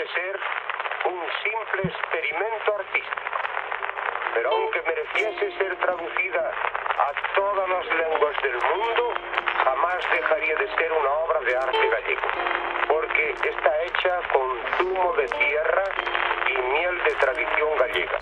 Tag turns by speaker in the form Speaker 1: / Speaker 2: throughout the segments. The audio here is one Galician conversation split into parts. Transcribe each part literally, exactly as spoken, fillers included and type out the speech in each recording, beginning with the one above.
Speaker 1: de ser un simple experimento artístico. Pero aunque mereciese ser traducida a todas las lenguas del mundo, jamás dejaría de ser una obra de arte gallego, porque está hecha con zumo de tierra y miel de tradición gallega.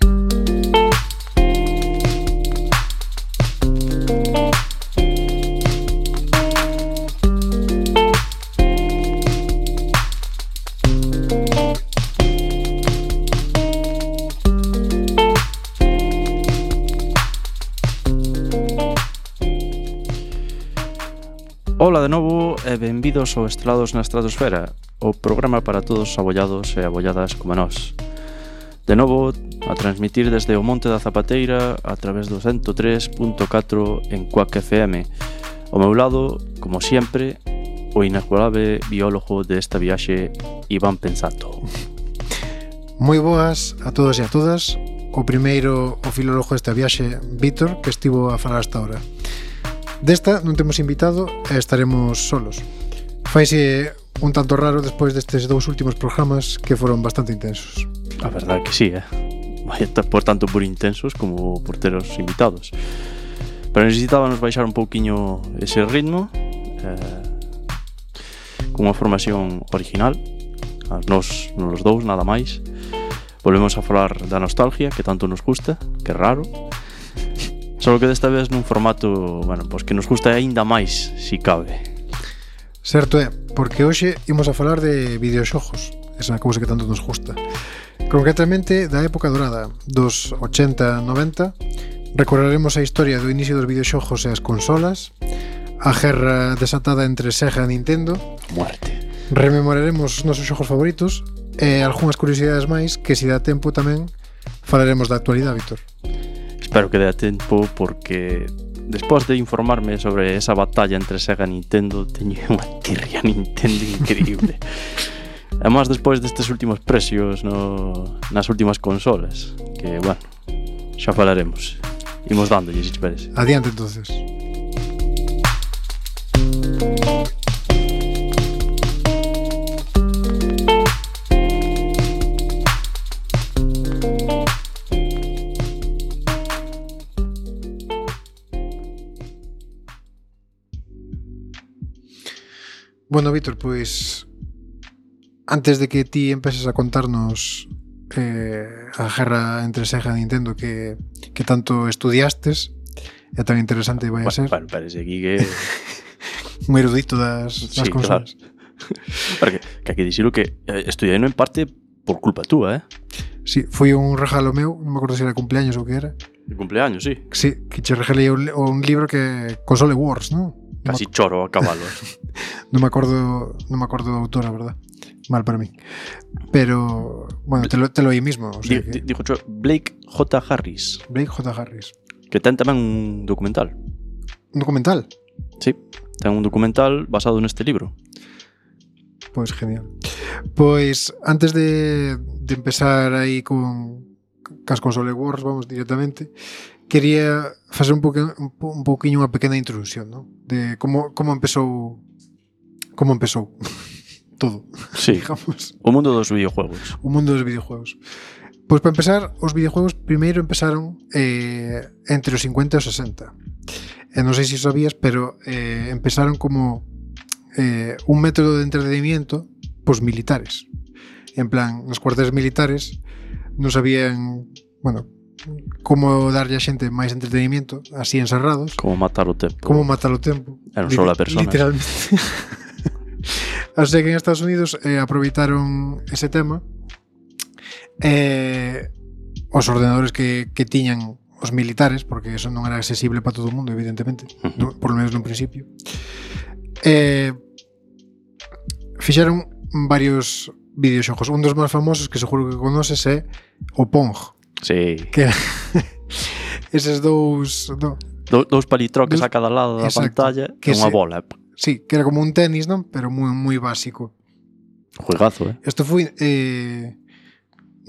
Speaker 2: Ola de novo e benvidos ao Estrelados na Estratosfera, o programa para todos os abollados e abolladas como nós. De novo, a transmitir desde o Monte da Zapateira a través do cento tres punto catro en Quack F M. Ao meu lado, como sempre, o inexorable biólogo desta viaxe, Iván Pensato.
Speaker 3: Moi boas a todos e a todas. O primeiro, o filólogo desta viaxe, Víctor, que estivo a falar hasta ahora. Desta non temos invitado e estaremos solos. Faise un tanto raro despois destes dous últimos programas que foron bastante intensos.
Speaker 2: A verdade que sí, eh? Por tanto por intensos como por ter os invitados. Pero necesitábamos baixar un pouquiño ese ritmo eh, con unha formación original. Nos, nos dous, nada máis. Volvemos a falar da nostalgia, que tanto nos gusta, que é raro. Só que desta vez nun formato, bueno, pois que nos gusta aínda máis, si cabe.
Speaker 3: Certo é, porque hoxe imos a falar de videoxogos, esa cousa que tanto nos gusta. Concretamente da época dorada, dos ochenta noventa, recorreremos a historia do inicio dos videoxogos e as consolas, a guerra desatada entre Sega e Nintendo,
Speaker 2: muerte.
Speaker 3: Rememoraremos os nosos xogos favoritos e algunhas curiosidades máis que, se dá tempo tamén, falaremos da actualidade, Víctor.
Speaker 2: Espero que dé tempo, porque despois de informarme sobre esa batalla entre Sega e Nintendo, teño unha tirria Nintendo increíble. Además, despois destes últimos precios no, nas últimas consolas, que, bueno, xa falaremos. Imos dándolle, se te parece.
Speaker 3: Adiante, entonces. Bueno, Víctor, pois antes de que ti empeces a contarnos eh, a guerra entre Sega e Nintendo que, que tanto estudiastes, é tan interesante vai a ser.
Speaker 2: Bueno, parece aquí que
Speaker 3: un erudito das, das
Speaker 2: sí,
Speaker 3: consolas.
Speaker 2: Claro. Porque que hai que dicirlo que estudiei en parte por culpa túa, eh?
Speaker 3: Sí, foi un regalo meu, non me acordo se era cumpleaños ou que era.
Speaker 2: De cumpleaños, sí.
Speaker 3: Sí, que che regalei un, un libro que Console Wars, non?
Speaker 2: Casi choro a cabalo.
Speaker 3: Non me acordo, non me acordo do autor, a verdad. Mal para mí. Pero, bueno, te lo, te lo aí mismo. O sea
Speaker 2: D-
Speaker 3: que...
Speaker 2: Dijo cho, Blake J. Harris.
Speaker 3: Blake J. Harris.
Speaker 2: Que ten tamén un documental.
Speaker 3: Un documental?
Speaker 2: Sí, ten un documental basado neste libro.
Speaker 3: Pois genial. Pois, antes de, de empezar aí con cas Console Wars, vamos directamente, quería facer un, poque, un, un pouquiño unha pequena introducción, ¿no? De como, como empezou como empezou todo,
Speaker 2: sí,
Speaker 3: digamos.
Speaker 2: O mundo dos videojuegos.
Speaker 3: O mundo dos videojuegos. Pois para empezar, os videojuegos primeiro empezaron eh, entre os cincuenta e os sesenta. E non sei se sabías, pero eh, empezaron como eh, un método de entretenimiento pos militares. En plan, nos cuarteles militares non sabían, bueno, como darlle a xente máis entretenimiento, así encerrados.
Speaker 2: Como matar o tempo.
Speaker 3: Como matar o tempo.
Speaker 2: Era un sola persona.
Speaker 3: Literalmente. Así que en Estados Unidos eh, aproveitaron ese tema eh, os ordenadores que, que tiñan os militares, porque eso non era accesible para todo o mundo, evidentemente, uh-huh. no, por lo menos nun principio. Eh, fixeron varios videoxogos. Un dos máis famosos que seguro que conoces é o Pong.
Speaker 2: Sí.
Speaker 3: Que eses dous no,
Speaker 2: Do, dous palitroques
Speaker 3: dos,
Speaker 2: a cada lado da
Speaker 3: exacto,
Speaker 2: pantalla e unha
Speaker 3: se,
Speaker 2: bola.
Speaker 3: Sí, que era como un tenis, non? Pero moi moi básico.
Speaker 2: Juegazo, eh?
Speaker 3: Isto foi eh,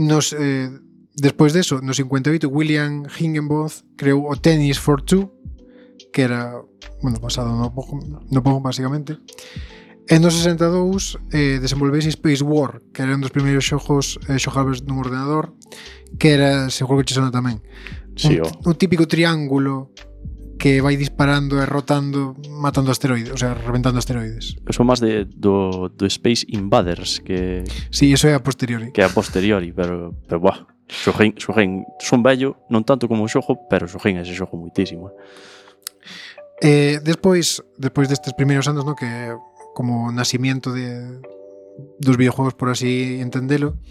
Speaker 3: nos eh, despois deso, no cincuenta e oito, William Higginbotham creou o Tennis for Two, que era, bueno, basado no Pong, no Pong basicamente. E no sesenta e dous eh, desenvolvese Space War, que era un dos primeiros xogos eh, xogables nun ordenador, que era, seguro que che sona tamén,
Speaker 2: Sí,
Speaker 3: un,
Speaker 2: o...
Speaker 3: un típico triángulo que vai disparando e rotando, matando asteroides, o sea, reventando asteroides.
Speaker 2: Eso máis de, do, do Space Invaders, que,
Speaker 3: Sí, eso é a posteriori.
Speaker 2: que é a posteriori, pero, pero buah, xoguín, xoguín, son vello, non tanto como o xogo, pero xoguín ese xogo muitísimo.
Speaker 3: Eh, despois, despois destes primeiros anos, no, que como nacimiento de dos videojuegos, por así entendelo,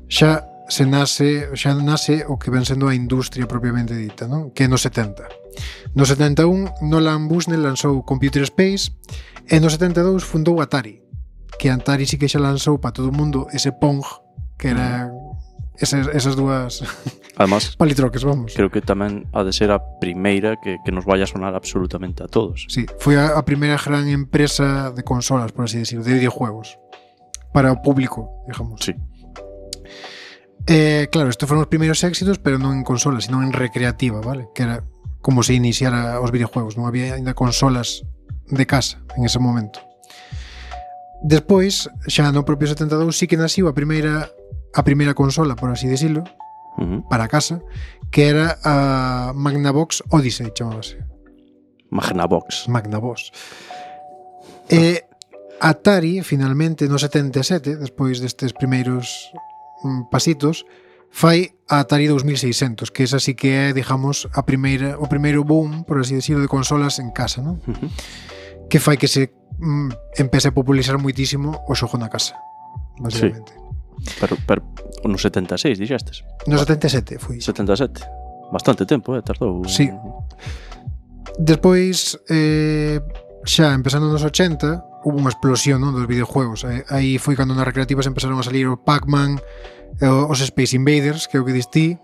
Speaker 3: xa se nase, xa nase o que ven sendo a industria propiamente dita, non? Que é no setenta. No setenta e un, Nolan Bushnell lanzou Computer Space e no setenta e dous fundou Atari, que Atari sí que xa lanzou para todo o mundo ese Pong, que era esas, esas dúas
Speaker 2: Además,
Speaker 3: palitroques, vamos.
Speaker 2: creo que tamén ha de ser a primeira que, que nos vaya a sonar absolutamente a todos.
Speaker 3: Sí, foi a, a primeira gran empresa de consolas, por así decirlo, de videojuegos para o público, digamos.
Speaker 2: Sí.
Speaker 3: Eh, claro, estos foron os primeiros éxitos, pero non en consolas, sino en recreativa, vale? Que era como se iniciara os videojuegos, non había ainda consolas de casa en ese momento. Despois, xa no propio setenta e dous, sí que naciu a primeira a primeira consola, por así decirlo,
Speaker 2: Uh-huh.
Speaker 3: para casa, que era a Magnavox Odyssey, chamábase.
Speaker 2: Magnavox.
Speaker 3: Magnavox. E Atari, finalmente, no setenta e sete, despois destes primeiros mm, pasitos, fai a Atari dos mil seiscentos, que esa sí que é, digamos, a primeira, o primeiro boom, por así decirlo, de consolas en casa, non?
Speaker 2: Uh-huh.
Speaker 3: Que fai que se mm, empece a popularizar muitísimo o xogo na casa, basicamente. Sí.
Speaker 2: Pero, pero no setenta e seis, dixestes?
Speaker 3: No setenta e sete foi.
Speaker 2: setenta e sete. Bastante tempo, eh, tardou.
Speaker 3: Sí. Despois, eh, xa empezando nos ochenta, hubo unha explosión, non, dos videojuegos. Eh, aí foi cando nas recreativas empezaron a salir o Pac-Man, eh, os Space Invaders, que é o que distí,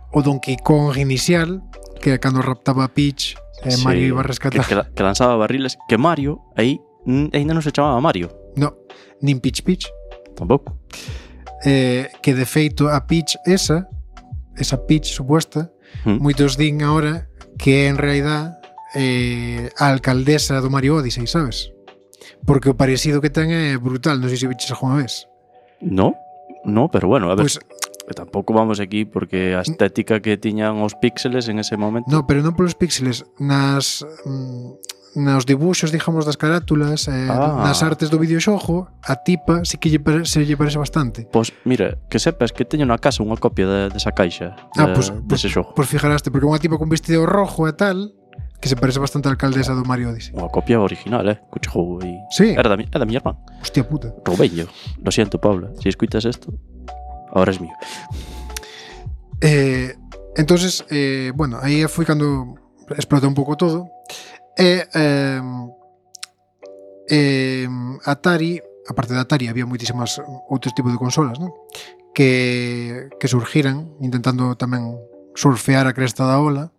Speaker 3: o Donkey Kong inicial, que é cando raptaba a Peach, e eh,
Speaker 2: Sí,
Speaker 3: Mario iba a rescatar.
Speaker 2: Que, que, que lanzaba barriles. Que Mario, aí, mm, ainda non se chamaba Mario.
Speaker 3: No, nin Peach Peach.
Speaker 2: Tampouco.
Speaker 3: Eh, que de feito a Peach esa, esa Peach suposta,
Speaker 2: Mm.
Speaker 3: moitos din ahora que é en realidad eh, a alcaldesa do Mario Odyssey, sabes? Porque o parecido que ten é brutal, non sei se viches alguna vez.
Speaker 2: No, no, pero bueno, a ver,
Speaker 3: Pois,
Speaker 2: pues, tampouco vamos aquí porque a estética que tiñan os píxeles en ese momento.
Speaker 3: no, pero non polos píxeles, nas mm, nos dibuxos, digamos, das carátulas, eh,
Speaker 2: Ah.
Speaker 3: nas artes do videoxogo, a tipa sí que lle pare, se lle parece bastante.
Speaker 2: Pois mira, que sepas que teño na casa unha copia de, desa caixa
Speaker 3: Ah,
Speaker 2: de,
Speaker 3: pois
Speaker 2: dese xogo.
Speaker 3: Pois fijaraste, porque é unha tipa con vestido rojo e tal, que se parece bastante á alcaldesa do Mario Odyssey.
Speaker 2: Unha copia original, eh, cucho xogo aí.
Speaker 3: Sí.
Speaker 2: Era da, mi- é da miña irmán.
Speaker 3: Hostia puta.
Speaker 2: Roubeño. Lo siento, Paula, si escuitas esto, ahora es mío.
Speaker 3: Eh, entonces, eh, bueno, aí foi cando explota un pouco todo. E eh, eh, Atari, aparte de Atari, había moitísimas outros tipos de consolas, non? Que, que surgiran intentando tamén surfear a cresta da ola,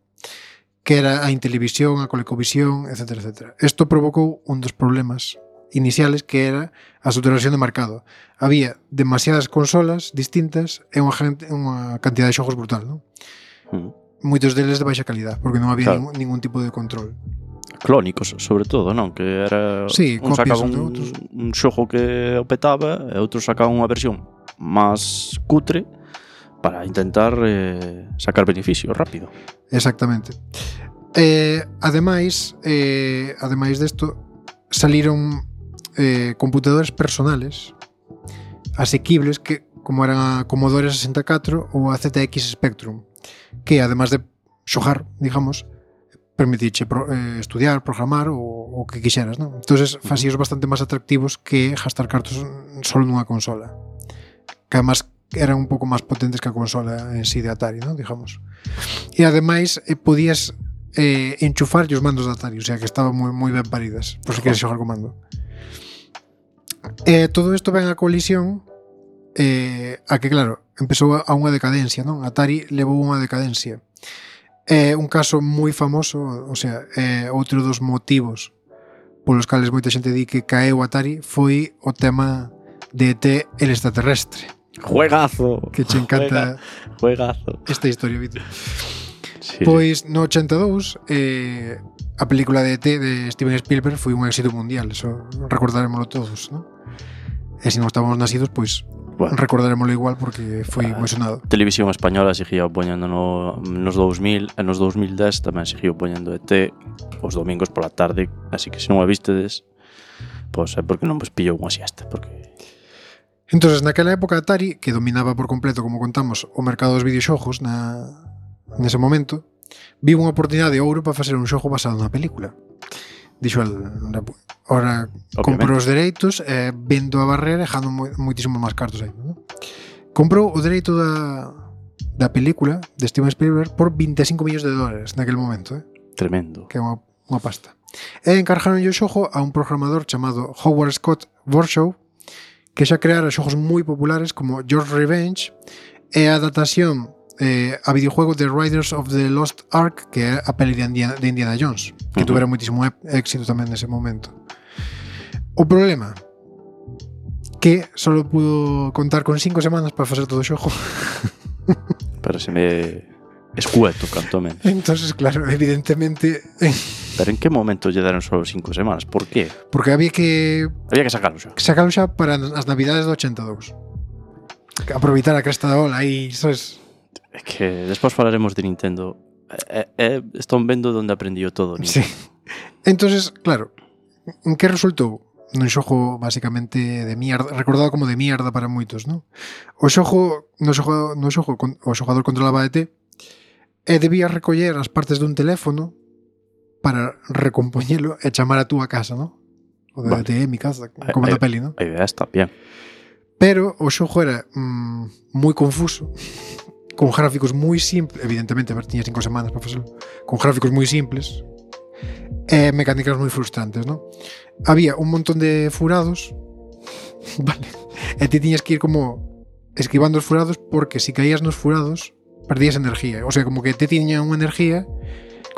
Speaker 3: que era a Intelivisión, a Colecovisión, etcétera, etcétera. Isto provocou un dos problemas iniciales, que era a saturación de mercado. Había demasiadas consolas distintas e unha, gente, unha cantidad de xogos brutal, non?
Speaker 2: Mm.
Speaker 3: Moitos deles de baixa calidad, porque non había
Speaker 2: Claro.
Speaker 3: ningún, ningún tipo de control.
Speaker 2: Clónicos, sobre todo, non? Que era
Speaker 3: Sí,
Speaker 2: un
Speaker 3: copias
Speaker 2: sacaba
Speaker 3: de
Speaker 2: un,
Speaker 3: outros.
Speaker 2: un xogo que o petaba e outro sacaba unha versión máis cutre para intentar eh, sacar beneficio rápido.
Speaker 3: Exactamente. Eh, ademais, eh, ademais desto, saliron eh, computadores personales asequibles que como eran a Commodore sesenta e catro ou a Z X Spectrum, que además de xogar, digamos, permitiche pro, eh, estudiar, programar ou o que quixeras, non? Entonces, facíos bastante máis atractivos que gastar cartos solo nunha consola. Que además eran un pouco máis potentes que a consola en sí de Atari, non? Digamos. E ademais eh, podías eh, enchufar os mandos de Atari, o sea que estaban moi, moi ben paridas, por se queres xogar con mando. Eh, todo isto ven a colisión eh, a que, claro, empezou a unha decadencia, non? Atari levou unha decadencia. É un caso moi famoso, o sea, é outro dos motivos polos cales moita xente di que caeu Atari foi o tema de E T el extraterrestre.
Speaker 2: Juegazo.
Speaker 3: Que che encanta
Speaker 2: Juega, juegazo.
Speaker 3: esta historia, Víctor.
Speaker 2: Sí,
Speaker 3: Pois no ochenta e dous eh, a película de E T de Steven Spielberg foi un éxito mundial, eso recordarémoslo todos, ¿no? E se non estábamos nacidos, pois
Speaker 2: bueno,
Speaker 3: recordarémoslo igual porque foi
Speaker 2: Ah,
Speaker 3: moi sonado.
Speaker 2: Televisión española seguía poñendo no, nos dous mil e nos dous mil dez tamén seguiu poñendo E T os domingos pola tarde, así que se non a vistedes, pois é porque non vos pillou unha siesta, porque
Speaker 3: Entonces, naquela época Atari, que dominaba por completo, como contamos, o mercado dos videoxogos na, nese momento, viu unha oportunidade de ouro para facer un xogo basado na película. Dixo el, ora comprou os dereitos, eh, vendo a barrera e dejando moitísimos máis cartos aí, ¿no? Comprou o dereito da, da película de Steven Spielberg por vinte e cinco millóns de dólares naquele momento, eh?
Speaker 2: tremendo.
Speaker 3: Que é unha, unha pasta. E encargaron o xogo a un programador chamado Howard Scott Warshaw, que xa creara xogos moi populares como George Revenge e a adaptación eh, a videojuego de Riders of the Lost Ark, que é a peli de Indiana, de Indiana Jones, que uh-huh. tuvera moitísimo éxito tamén nese momento. O problema que só pudo contar con cinco semanas para facer todo o xogo.
Speaker 2: Pero se me escueto, canto menos.
Speaker 3: Entonces, claro, evidentemente
Speaker 2: Pero en que momento lle deron só cinco semanas? Por qué?
Speaker 3: porque había que
Speaker 2: Había que sacarlo xa.
Speaker 3: sacalo xa para as navidades do ochenta e dous. Aproveitar a cresta da ola aí, sabes?
Speaker 2: É que despois falaremos de Nintendo. É, é, están vendo onde aprendió todo Nintendo.
Speaker 3: Sí. Entonces, claro, en que resultou? Nun xogo basicamente de mierda, recordado como de mierda para moitos, non? O xogo, no xogo, no xogo o xogador controlaba a E T e debía recoller as partes dun teléfono para recompoñelo e chamar a túa casa, non? O de vale. E T, mi casa, como na peli, non?
Speaker 2: A idea está bien.
Speaker 3: Pero o xogo era mm, moi confuso, con gráficos moi simples, evidentemente, a ver, tiña cinco semanas para facelo, con gráficos moi simples, e mecánicas moi frustrantes, non? Había un montón de furados, vale, e ti tiñas que ir como esquivando os furados porque se caías nos furados perdías energía, o sea, como que te tiña unha energía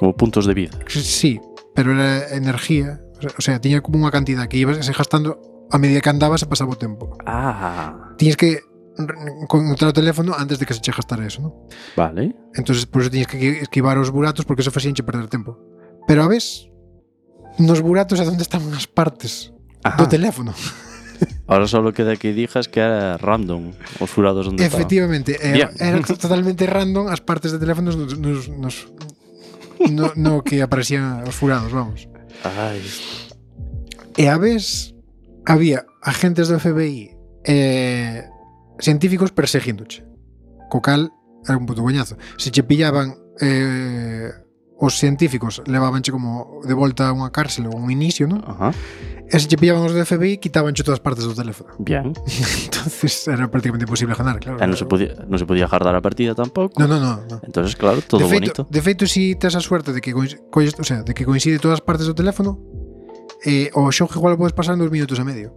Speaker 2: como puntos de vida.
Speaker 3: Sí, pero era energía, o sea, tiña como unha cantidad que ibas gastando a medida que andabas e pasaba o tempo.
Speaker 2: Ah.
Speaker 3: Tiñas que encontrar o teléfono antes de que se che gastara eso, non?
Speaker 2: Vale.
Speaker 3: Entonces, por eso tiñas que esquivar os buratos porque eso facíanche perder tempo. Pero a vez, nos buratos é onde estaban as partes Ajá. do teléfono.
Speaker 2: Ahora solo queda que dijas que era random os furados onde estaban.
Speaker 3: Efectivamente, era, era totalmente random as partes de teléfonos nos, nos, nos no, no que aparecían os furados, vamos.
Speaker 2: Ai.
Speaker 3: E a vez había agentes do F B I e científicos perseguíndoche. Co cal era un puto coñazo. Se che pillaban eh, os científicos levábanche como de volta a unha cárcel ou un inicio, non?
Speaker 2: Ajá.
Speaker 3: E se che pillaban os do F B I, quitabanche todas as partes do teléfono.
Speaker 2: Bien.
Speaker 3: Entonces era prácticamente imposible ganar, claro.
Speaker 2: E non se podía, non se podía jardar a partida tampouco.
Speaker 3: No, no, no, no.
Speaker 2: Entonces, claro, todo
Speaker 3: de feito,
Speaker 2: bonito.
Speaker 3: De feito, si tes a suerte de que colles, o sea, de que coincide todas as partes do teléfono, eh, o xogo igual o podes pasar en dos minutos e medio.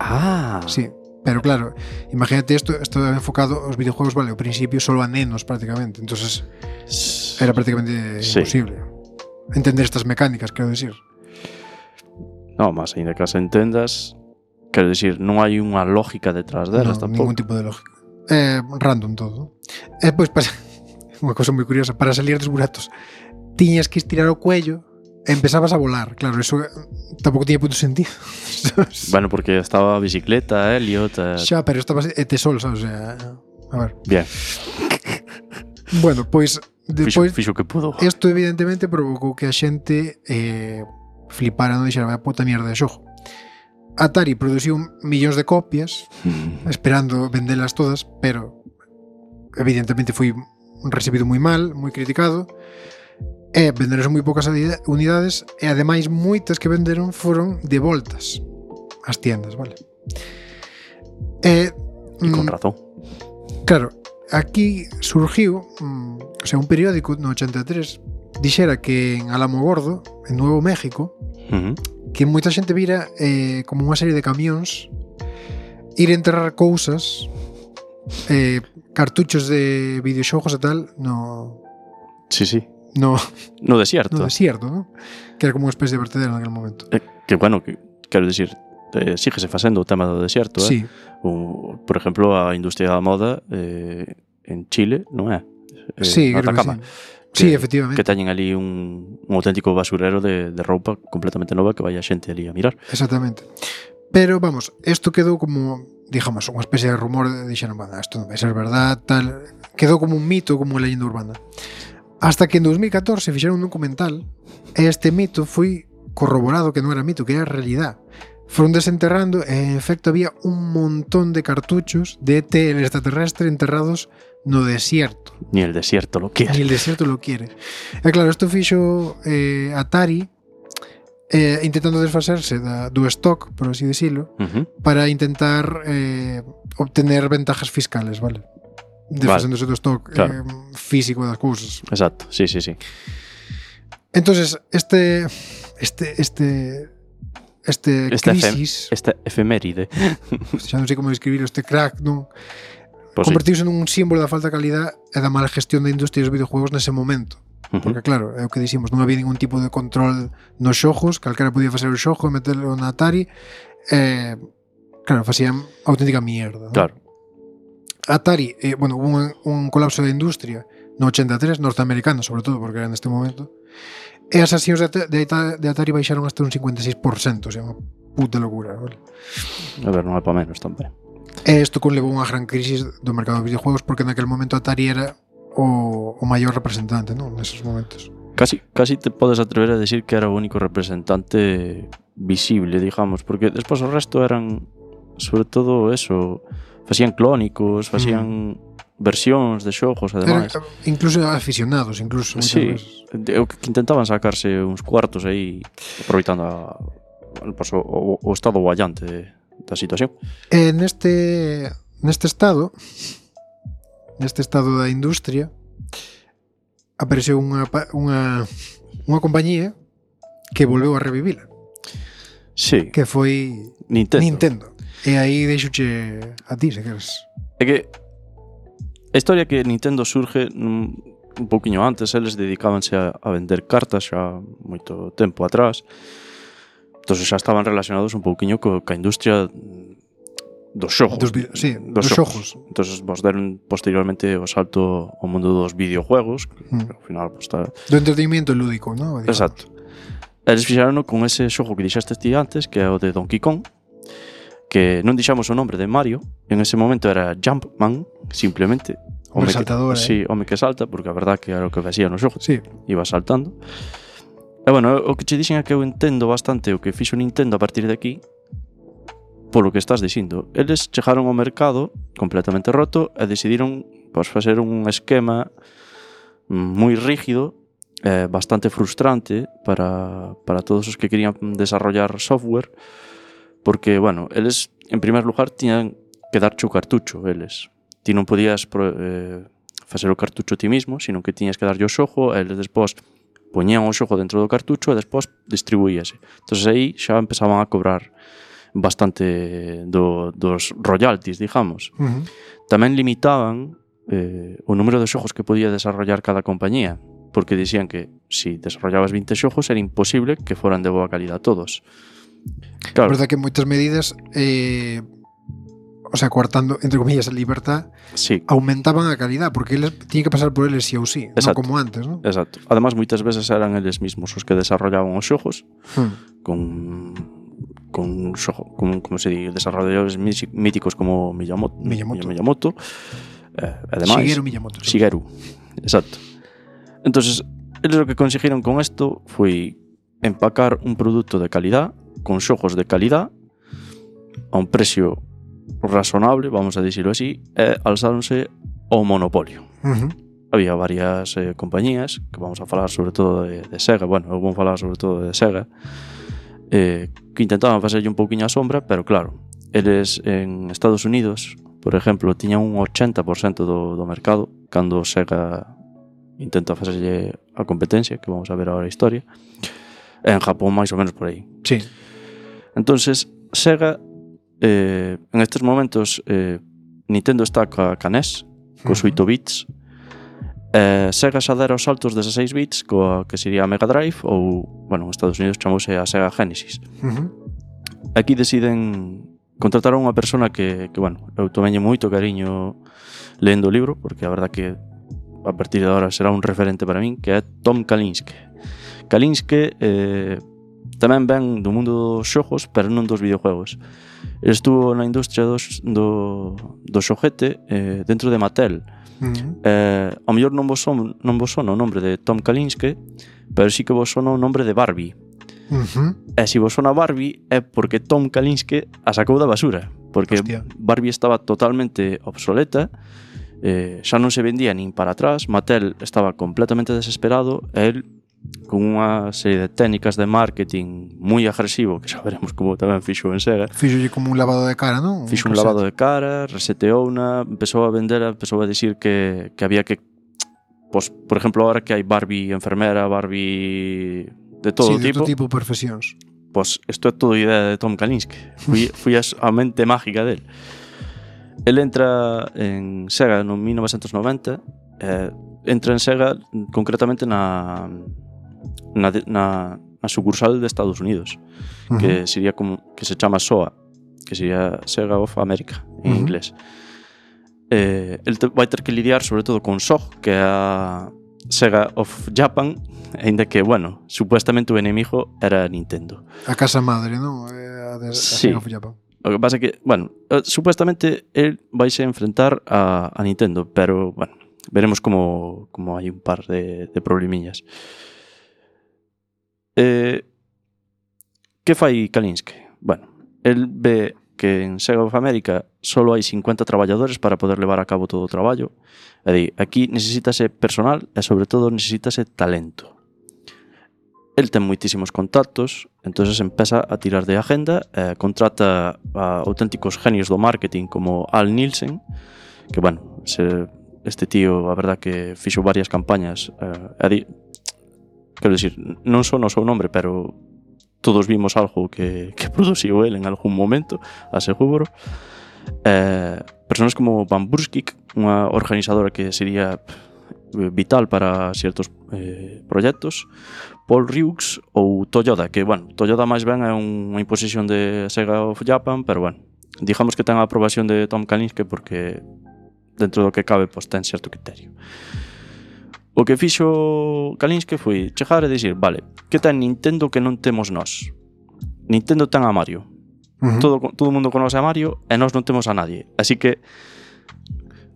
Speaker 2: Ah.
Speaker 3: Sí. Pero claro, imagínate isto, isto enfocado aos videojuegos, vale, ao principio solo a nenos prácticamente, entonces era prácticamente sí. imposible entender estas mecánicas, quero decir.
Speaker 2: No, mas ainda que as entendas, quero decir, non hai unha lógica detrás delas
Speaker 3: no,
Speaker 2: tampouco.
Speaker 3: Ningún tipo de lógica. É eh, random todo. E pois para unha cosa moi curiosa, para salir dos buratos tiñas que estirar o cuello e empezabas a volar. Claro, eso tampouco tiña punto sentido.
Speaker 2: Bueno, porque estaba a bicicleta, Elliot... Eh...
Speaker 3: Xa, pero estabas e te sol, sabes? O sea, a ver.
Speaker 2: Bien.
Speaker 3: Bueno, pois
Speaker 2: Despois, fixo, fixo que pudo.
Speaker 3: Isto evidentemente provocou que a xente eh, flipara, non dixera, vai a puta mierda de xogo. Atari produciu millóns de copias mm. esperando vendelas todas, pero evidentemente foi recibido moi mal, moi criticado, e venderonse moi poucas unidades, e ademais moitas que venderon foron devoltas ás tiendas, vale? E,
Speaker 2: e con razón.
Speaker 3: Claro, aquí surgiu um, o sea, un periódico no ochenta e tres dixera que en Alamogordo, en Nuevo México, uh-huh. que moita xente vira eh, como unha serie de camións ir enterrar cousas, eh, cartuchos de videoxogos e tal no...
Speaker 2: Sí, sí.
Speaker 3: No,
Speaker 2: no desierto.
Speaker 3: No desierto, ¿no? Que era como unha especie de vertedero en aquel momento.
Speaker 2: Eh, que bueno, que, quero dicir, eh, síguese facendo o tema do desierto, eh?
Speaker 3: Sí.
Speaker 2: O, por exemplo, a industria da moda eh, en Chile, non é? Eh,
Speaker 3: sí,
Speaker 2: Atacama.
Speaker 3: creo que sí. Sí,
Speaker 2: que,
Speaker 3: efectivamente.
Speaker 2: que teñen ali un, un auténtico basurero de, de roupa completamente nova que vai a xente ali a mirar.
Speaker 3: Exactamente. Pero, vamos, isto quedou como, digamos, unha especie de rumor de dixeron, bueno, isto non vai ser verdad, tal. Quedou como un mito, como unha leyenda urbana. Hasta que en dos mil catorce fixeron un documental e este mito foi corroborado que non era mito, que era realidad. Foron desenterrando e, en efecto, había un montón de cartuchos de E T, el extraterrestre, enterrados no desierto.
Speaker 2: Ni el desierto lo quiere.
Speaker 3: Ni el desierto lo quiere. E claro, isto fixo eh, Atari eh, intentando desfacerse da, do stock, por así decirlo,
Speaker 2: Uh-huh.
Speaker 3: para intentar eh, obtener ventajas fiscales, vale? Desfacéndose vale. do stock
Speaker 2: Claro.
Speaker 3: eh, físico das cousas.
Speaker 2: Exacto, sí, sí, sí.
Speaker 3: Entonces, este este este este,
Speaker 2: Este
Speaker 3: crisis,
Speaker 2: Esta efeméride.
Speaker 3: xa non sei como describir este crack, non?
Speaker 2: Pues sí.
Speaker 3: Convertiuse nun símbolo da falta de calidad e da mala gestión da industria dos videojuegos nese momento.
Speaker 2: Uh-huh.
Speaker 3: Porque claro, é o que dicimos, non había ningún tipo de control nos xogos, calquera podía facer o xogo e meterlo na Atari, e claro, facían auténtica mierda, non?
Speaker 2: Claro.
Speaker 3: Atari, eh, bueno, hubo un, un colapso da industria no ochenta e tres, norteamericano sobre todo, porque era neste momento, e as accións de, At- de, At- de Atari baixaron hasta un cincuenta e seis por ciento, o sea, unha puta locura, vale?
Speaker 2: A ver, non é para menos tamén.
Speaker 3: E isto conlevou unha gran crisis do mercado dos videojuegos, porque naquele momento Atari era o, o maior representante, non? Neses momentos.
Speaker 2: Casi, casi te podes atrever a decir que era o único representante visible, digamos, porque despois o resto eran, sobre todo eso, facían clónicos, facían mm. versións de xogos, ademais.
Speaker 3: Eran, incluso aficionados, incluso moitas
Speaker 2: Sí,
Speaker 3: veces.
Speaker 2: eu que intentaban sacarse uns cuartos aí, aproveitando a, pues, o, o, o estado guallante de, da situación.
Speaker 3: E neste neste estado neste estado da industria apareceu unha pa- unha unha compañía que volveu a revivila,
Speaker 2: Sí,
Speaker 3: que foi
Speaker 2: Nintendo.
Speaker 3: Nintendo. E aí deixoche a ti, se queres.
Speaker 2: É que a historia que Nintendo surge un, un pouquiño antes, eles dedicábanse a, a vender cartas xa moito tempo atrás. Entón xa estaban relacionados un pouquiño co, ca industria dos xogos.
Speaker 3: Dos vi- sí, dos xogos.
Speaker 2: Entón vos deron posteriormente o salto ao mundo dos videojuegos, que
Speaker 3: Mm.
Speaker 2: ao final pues, está...
Speaker 3: Do entretenimiento lúdico, ¿no? Digamos.
Speaker 2: Exacto. Eles fixaron con ese xogo que dixaste ti antes, que é o de Donkey Kong, que non dixamos o nombre de Mario, en ese momento era Jumpman, simplemente.
Speaker 3: Un
Speaker 2: Home
Speaker 3: saltador,
Speaker 2: que,
Speaker 3: eh.
Speaker 2: sí, home que salta, porque a verdad que era o que facía no xogo,
Speaker 3: Sí.
Speaker 2: iba saltando. E bueno, o que che dixen é que eu entendo bastante o que fixo Nintendo a partir de aquí, polo que estás dicindo. Eles chegaron ao mercado completamente roto e decidiron pois, facer un esquema moi rígido, eh, bastante frustrante para, para todos os que querían desarrollar software, porque, bueno, eles, en primer lugar, tiñan que darche o cartucho, eles. Ti non podías pro, eh, facer o cartucho ti mismo, sino que tiñas que darlle o xogo, e eles despois poñían o xogo dentro do cartucho e despois distribuíase. Entón aí xa empezaban a cobrar bastante do, dos royalties, digamos.
Speaker 3: Uh-huh.
Speaker 2: Tamén limitaban eh, o número de xogos que podía desarrollar cada compañía, porque dicían que si desarrollabas vinte xogos era imposible que foran de boa calidad todos.
Speaker 3: Claro. A verdade que moitas medidas eh, o sea, coartando, entre comillas, a libertad,
Speaker 2: sí.
Speaker 3: aumentaban a calidad, porque eles tiñen que pasar por eles sí ou sí, non como antes, non?
Speaker 2: Exacto. Además, moitas veces eran eles mismos os que desarrollaban os xogos
Speaker 3: hmm.
Speaker 2: con con xogo, con, como se di, desarrolladores míticos como Miyamoto,
Speaker 3: Miyamoto.
Speaker 2: Miyamoto eh, ademais,
Speaker 3: Shigeru Miyamoto. Sí.
Speaker 2: Shigeru, exacto. Entonces, eles o que conseguiron con isto foi empacar un produto de calidad, con xogos de calidad, a un precio razonable, vamos a dicirlo así, e alzáronse ao monopolio.
Speaker 3: Uh-huh.
Speaker 2: Había varias eh, compañías, que vamos a falar sobre todo de, de Sega, bueno, eu vou falar sobre todo de Sega, eh, que intentaban facerlle un pouquiño a sombra, pero claro, eles en Estados Unidos, por exemplo, tiñan un ochenta por ciento do, do mercado, cando Sega intenta facerlle a competencia, que vamos a ver agora a historia, e en Japón máis ou menos por aí.
Speaker 3: Sí.
Speaker 2: Entonces, Sega, eh, en estes momentos, eh, Nintendo está ca, ca N E S, cos oito bits, eh, Sega xa dera os saltos dezaseis bits coa que sería a Mega Drive ou, bueno, en Estados Unidos chamouse a Sega Genesis.
Speaker 3: Uh-huh.
Speaker 2: Aquí deciden contratar a unha persona que, que bueno, eu tomeñe moito cariño lendo o libro, porque a verdad que a partir de agora será un referente para min, que é Tom Kalinske. Kalinske eh, tamén ven do mundo dos xogos, pero non dos videojuegos. Ele estuvo na industria dos, do, do xoguete eh, dentro de Mattel. Uh-huh. Eh, ao mellor non vos, son, non vos sona o nombre de Tom Kalinske, pero sí que vos sona o nombre de Barbie. Uh-huh. E se vos sona Barbie é porque Tom Kalinske a sacou da basura, porque Hostia. Barbie estaba totalmente obsoleta, eh, xa non se vendía nin para atrás, Mattel estaba completamente desesperado e el, con unha serie de técnicas de marketing moi agresivo, que xa veremos como tamén fixo en Sega.
Speaker 3: Fixolle como un lavado de cara, non?
Speaker 2: Fixo un, un lavado de cara, reseteouna, empezou a vender, empezou a dicir que, que había que, pues, por exemplo, ahora que hai Barbie enfermera, Barbie de todo
Speaker 3: sí,
Speaker 2: tipo.
Speaker 3: Sí, de todo tipo de profesións.
Speaker 2: Pues isto é todo idea de Tom Kalinske. Fui, fui a, a mente mágica del. El entra en Sega no mil novecentos noventa, eh, entra en Sega concretamente na na, na, na sucursal de Estados Unidos, uh-huh. que sería como que se chama S O A, que sería Sega of America en uh-huh. inglés. Eh, el te, vai ter que lidiar sobre todo con S O G, que é a Sega of Japan, ainda que, bueno, supuestamente o enemigo era Nintendo.
Speaker 3: A casa madre, non? A, de, a
Speaker 2: sí.
Speaker 3: Sega of Japan.
Speaker 2: O que pasa é que, bueno, supuestamente él vais a enfrentar a, a Nintendo, pero, bueno, veremos como, como hai un par de, de problemillas. Eh, que fai Kalinske? Bueno, el ve que en Sega of America solo hai cincuenta traballadores para poder levar a cabo todo o traballo. É dicir, aquí necesítase personal e sobre todo necesítase talento. El ten moitísimos contactos, entonces empeza a tirar de agenda, eh, contrata a auténticos genios do marketing como Al Nielsen, que, bueno, se, este tío, a verdad que fixo varias campañas, eh, a di, quero dicir, non son o seu nombre, pero todos vimos algo que, que produciu el en algún momento, aseguro. Eh, personas como Van Burskik, unha organizadora que sería vital para ciertos eh, proxectos, Paul Rieux ou Toyoda, que, bueno, Toyoda máis ben é unha imposición de Sega of Japan, pero, bueno, digamos que ten a aprobación de Tom Kalinske porque dentro do que cabe, pois, ten certo criterio. O que fixo Kalinske foi chegar e dicir, vale, que ten Nintendo que non temos nós? Nintendo ten a Mario. Uh-huh. Todo, todo o mundo conoce a Mario e nós non temos a nadie. Así que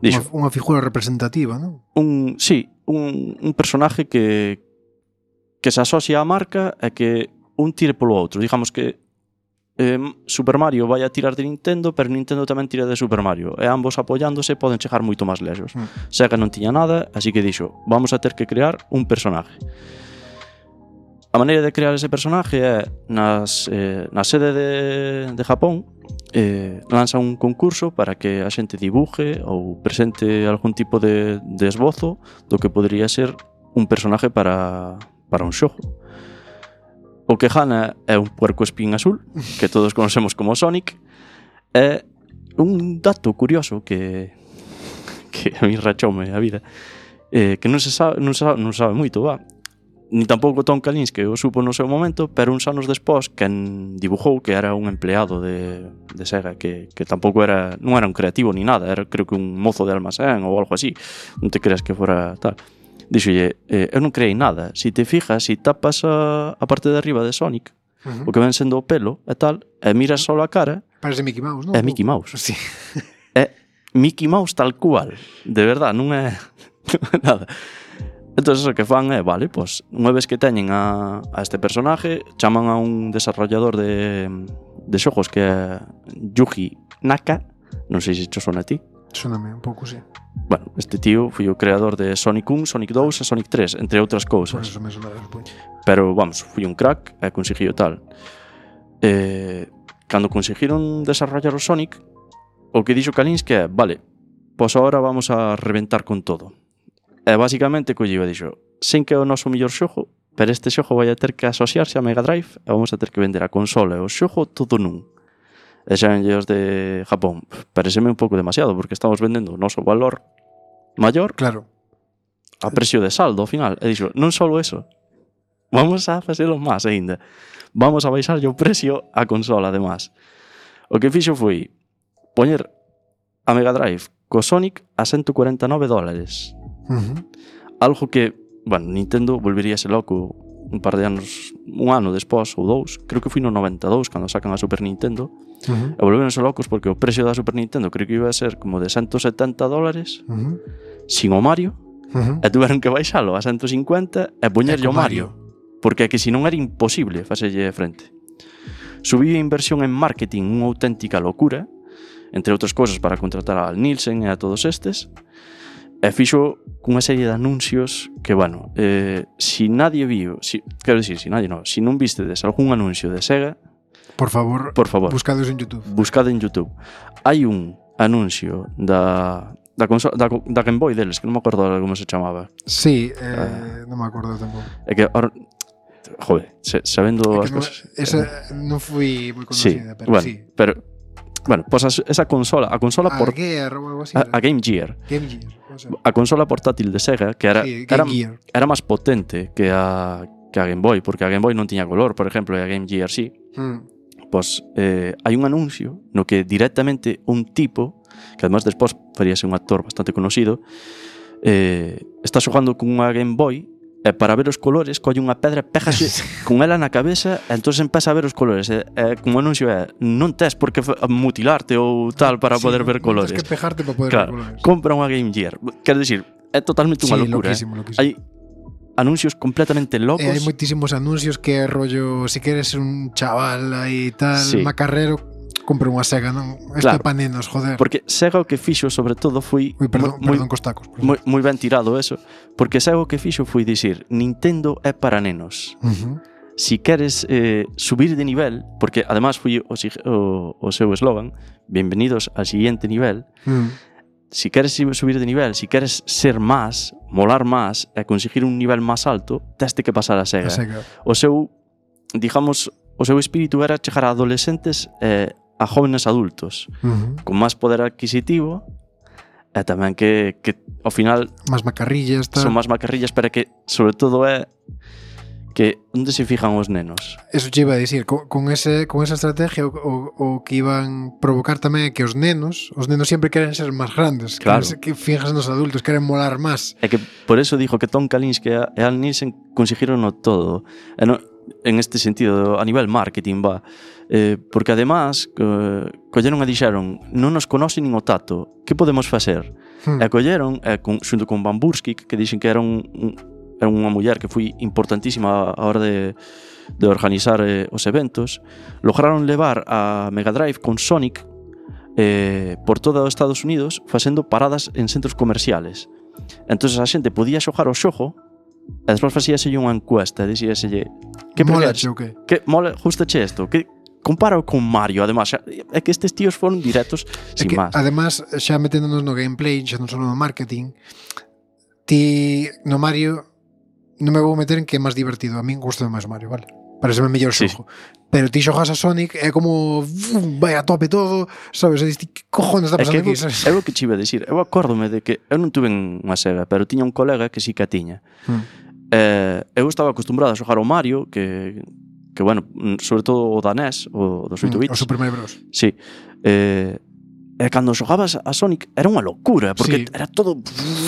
Speaker 2: dixo,
Speaker 3: unha figura representativa, non?
Speaker 2: Un, sí, un, un personaje que que se asocia á marca e que un tire polo outro. Digamos que eh, Super Mario vai a tirar de Nintendo, pero Nintendo tamén tira de Super Mario. E ambos apoiándose poden chegar moito máis lexos. Mm. Sega non tiña nada, así que dixo, vamos a ter que crear un personaje. A maneira de crear ese personaje é nas, eh, na sede de, de Japón, eh, lanza un concurso para que a xente dibuje ou presente algún tipo de, de esbozo do que podría ser un personaje para, para un xogo. O que gana é un puerco espín azul, que todos conocemos como Sonic. É un dato curioso que, que a mí rachoume a vida, eh, que non se sabe, non se sabe, non sabe moito, va. Ni tampouco Tom Kalinske o supo no seu momento, pero uns anos despois quen dibujou, que era un empleado de, de Sega, que, que tampouco era, non era un creativo ni nada, era creo que un mozo de almacén ou algo así, non te creas que fora tal. Dixolle, eh, eu non creei nada, se te fijas, se tapas a, a parte de arriba de Sonic, uh-huh. o que ven sendo o pelo e tal, e miras só a cara,
Speaker 3: parece Mickey Mouse, non?
Speaker 2: É Mickey Mouse.
Speaker 3: Sí.
Speaker 2: É Mickey Mouse tal cual, de verdad, non é, non é nada. Entón, o que fan é, vale, pois, unha vez que teñen a, a este personaje, chaman a un desarrollador de, de xogos que é Yuji Naka, non sei se cho sona a ti.
Speaker 3: Sóname un pouco, sí.
Speaker 2: Bueno, este tío foi o creador de Sonic un, Sonic dous e Sonic tres, entre outras cousas.
Speaker 3: Por eso me sona despois.
Speaker 2: Pero, vamos, foi un crack e conseguiu tal. Eh, cando conseguiron desarrollar o Sonic, o que dixo Kalinske é, vale, pois agora vamos a reventar con todo. E basicamente colleu e dixo, sen que é o noso mellor xogo, pero este xogo vai a ter que asociarse a Mega Drive e vamos a ter que vender a consola e o xogo todo nun. E xa en os de Japón, pareceme un pouco demasiado, porque estamos vendendo o noso valor maior,
Speaker 3: claro,
Speaker 2: a precio de saldo ao final. E dixo, non só eso, vamos a facelo máis aínda. Vamos a baixar o precio a consola, además. O que fixo foi poñer a Mega Drive co Sonic a ciento cuarenta e nove dólares.
Speaker 3: Uh-huh.
Speaker 2: Algo que, bueno, Nintendo volveríase loco un par de anos, un ano despois ou dous, creo que foi no noventa e dous cando sacan a Super Nintendo,
Speaker 3: Uh-huh.
Speaker 2: e volveronse locos porque o precio da Super Nintendo creo que iba a ser como de ciento setenta dólares
Speaker 3: Uh-huh.
Speaker 2: sin o Mario,
Speaker 3: Uh-huh.
Speaker 2: e tuveron que baixalo a ciento cincuenta e poñerlle o Mario, porque é que senón era imposible facelle frente. Subiu a inversión en marketing unha auténtica locura, entre outras cousas para contratar a Nielsen e a todos estes, e fixo cunha serie de anuncios que, bueno, eh, si nadie viu, si, quero dicir, si nadie non, si non vistedes algún anuncio de Sega,
Speaker 3: Por favor,
Speaker 2: por favor,
Speaker 3: buscados en YouTube.
Speaker 2: buscad en YouTube. Hai un anuncio da da, consola, da, da Game Boy deles, que non me acordo como se chamaba.
Speaker 3: Sí, eh,
Speaker 2: Ah.
Speaker 3: non me acordo tampouco.
Speaker 2: É que, ahora, joder, se, sabendo
Speaker 3: É
Speaker 2: as
Speaker 3: que non,
Speaker 2: cosas...
Speaker 3: esa non fui moi
Speaker 2: Sí,
Speaker 3: conocida, pero
Speaker 2: bueno,
Speaker 3: sí.
Speaker 2: pero bueno, pues as- esa consola, a consola
Speaker 3: A
Speaker 2: por
Speaker 3: Gear ou algo así.
Speaker 2: a,
Speaker 3: era.
Speaker 2: a Game Gear,
Speaker 3: Game Gear. o sea.
Speaker 2: a consola portátil de Sega, que era
Speaker 3: Sí,
Speaker 2: era,
Speaker 3: Game Gear.
Speaker 2: era máis potente que a que a Game Boy, porque a Game Boy non tiña color, por exemplo, e a Game Gear sí.
Speaker 3: Mm.
Speaker 2: Pois eh, hai un anuncio no que directamente un tipo, que además despois faríase un actor bastante conocido, eh, está xogando con unha Game Boy e para ver os colores colle unha pedra, pégase con ela na cabeza e entón empeza a ver os colores e, e como anuncio é non tes por que fa- mutilarte ou tal para
Speaker 3: Sí,
Speaker 2: poder ver
Speaker 3: non
Speaker 2: colores.
Speaker 3: Tens que pejarte para poder
Speaker 2: Claro,
Speaker 3: ver colores.
Speaker 2: compra unha Game Gear. Quero dicir, é totalmente unha
Speaker 3: Sí,
Speaker 2: locura.
Speaker 3: loquísimo,
Speaker 2: eh.
Speaker 3: loquísimo.
Speaker 2: Hai anuncios completamente locos.
Speaker 3: E hai moitísimos anuncios que é rollo, si queres un chaval aí tal,
Speaker 2: Sí.
Speaker 3: macarrero, compra unha Sega, non? Isto
Speaker 2: Claro.
Speaker 3: é pa nenos, joder.
Speaker 2: Porque Sega o que fixo sobre todo foi
Speaker 3: Ui, perdón,
Speaker 2: moi,
Speaker 3: perdón cos tacos. por
Speaker 2: moi, moi ben tirado eso, porque Sega o que fixo foi dicir Nintendo é para nenos.
Speaker 3: favor. Ujú.
Speaker 2: Si queres eh, subir de nivel, porque además foi o, sig- o, o seu eslogan, bienvenidos al siguiente nivel.
Speaker 3: Mm.
Speaker 2: Si queres subir de nivel, si queres ser más, molar más e conseguir un nivel máis alto, teste que pasar a
Speaker 3: A
Speaker 2: Sega.
Speaker 3: Sega.
Speaker 2: O seu, digamos, o seu espírito era chegar a adolescentes e a jóvenes adultos
Speaker 3: Ujú.
Speaker 2: con máis poder adquisitivo e tamén que, que ao final
Speaker 3: Más macarrillas, tal.
Speaker 2: son máis macarrillas, pero que sobre todo é que onde se fijan os nenos.
Speaker 3: Eso che iba a dicir, con, con, ese, con esa estrategia o, o, o que iban provocar tamén é que os nenos, os nenos sempre queren ser máis grandes,
Speaker 2: Claro.
Speaker 3: queren ser, que fijas nos adultos, queren molar máis.
Speaker 2: É que por eso dijo que Tom Kalinske e Al Nielsen conseguiron no todo. E no, en este sentido, a nivel marketing, va. Eh, porque además, eh, colleron e dixeron non nos conoce nin o tato, que podemos facer?
Speaker 3: Hmm.
Speaker 2: E colleron, e con, xunto con Van Bursky, que dixen que era un, un era unha muller que foi importantísima a hora de, de organizar eh, os eventos, lograron levar a Mega Drive con Sonic eh, por todo os Estados Unidos facendo paradas en centros comerciales. Entón a xente podía xogar o xogo e despois facíaselle unha encuesta e dixíaselle que
Speaker 3: Mola,
Speaker 2: preferes?
Speaker 3: che, o que?
Speaker 2: Que mola, gustache isto? Que comparo con Mario, además, xa- é que estes tíos foron directos
Speaker 3: É
Speaker 2: sin
Speaker 3: que,
Speaker 2: máis.
Speaker 3: además, xa meténdonos no gameplay, xa non só no marketing, ti no Mario non me vou meter en que é máis divertido. A min gusta máis Mario, vale? Parece o mellor
Speaker 2: Sí,
Speaker 3: xogo. Pero ti xogas a Sonic é como uf, vai a tope todo, sabes? E dis, ti, que cojones está
Speaker 2: É que
Speaker 3: pasando
Speaker 2: eu,
Speaker 3: aquí? Sabes?
Speaker 2: é o que che iba a dicir. Eu acórdome de que eu non tuve unha Sega, pero tiña un colega que sí que a tiña.
Speaker 3: Hmm.
Speaker 2: Eh, eu estaba acostumbrado a xogar ao Mario, que, que bueno, sobre todo o da N E S, o dos oito
Speaker 3: Mm,
Speaker 2: bits.
Speaker 3: O Super Mario Bros.
Speaker 2: Sí. Eh, e cando xogabas a Sonic era unha locura, porque
Speaker 3: Sí.
Speaker 2: era todo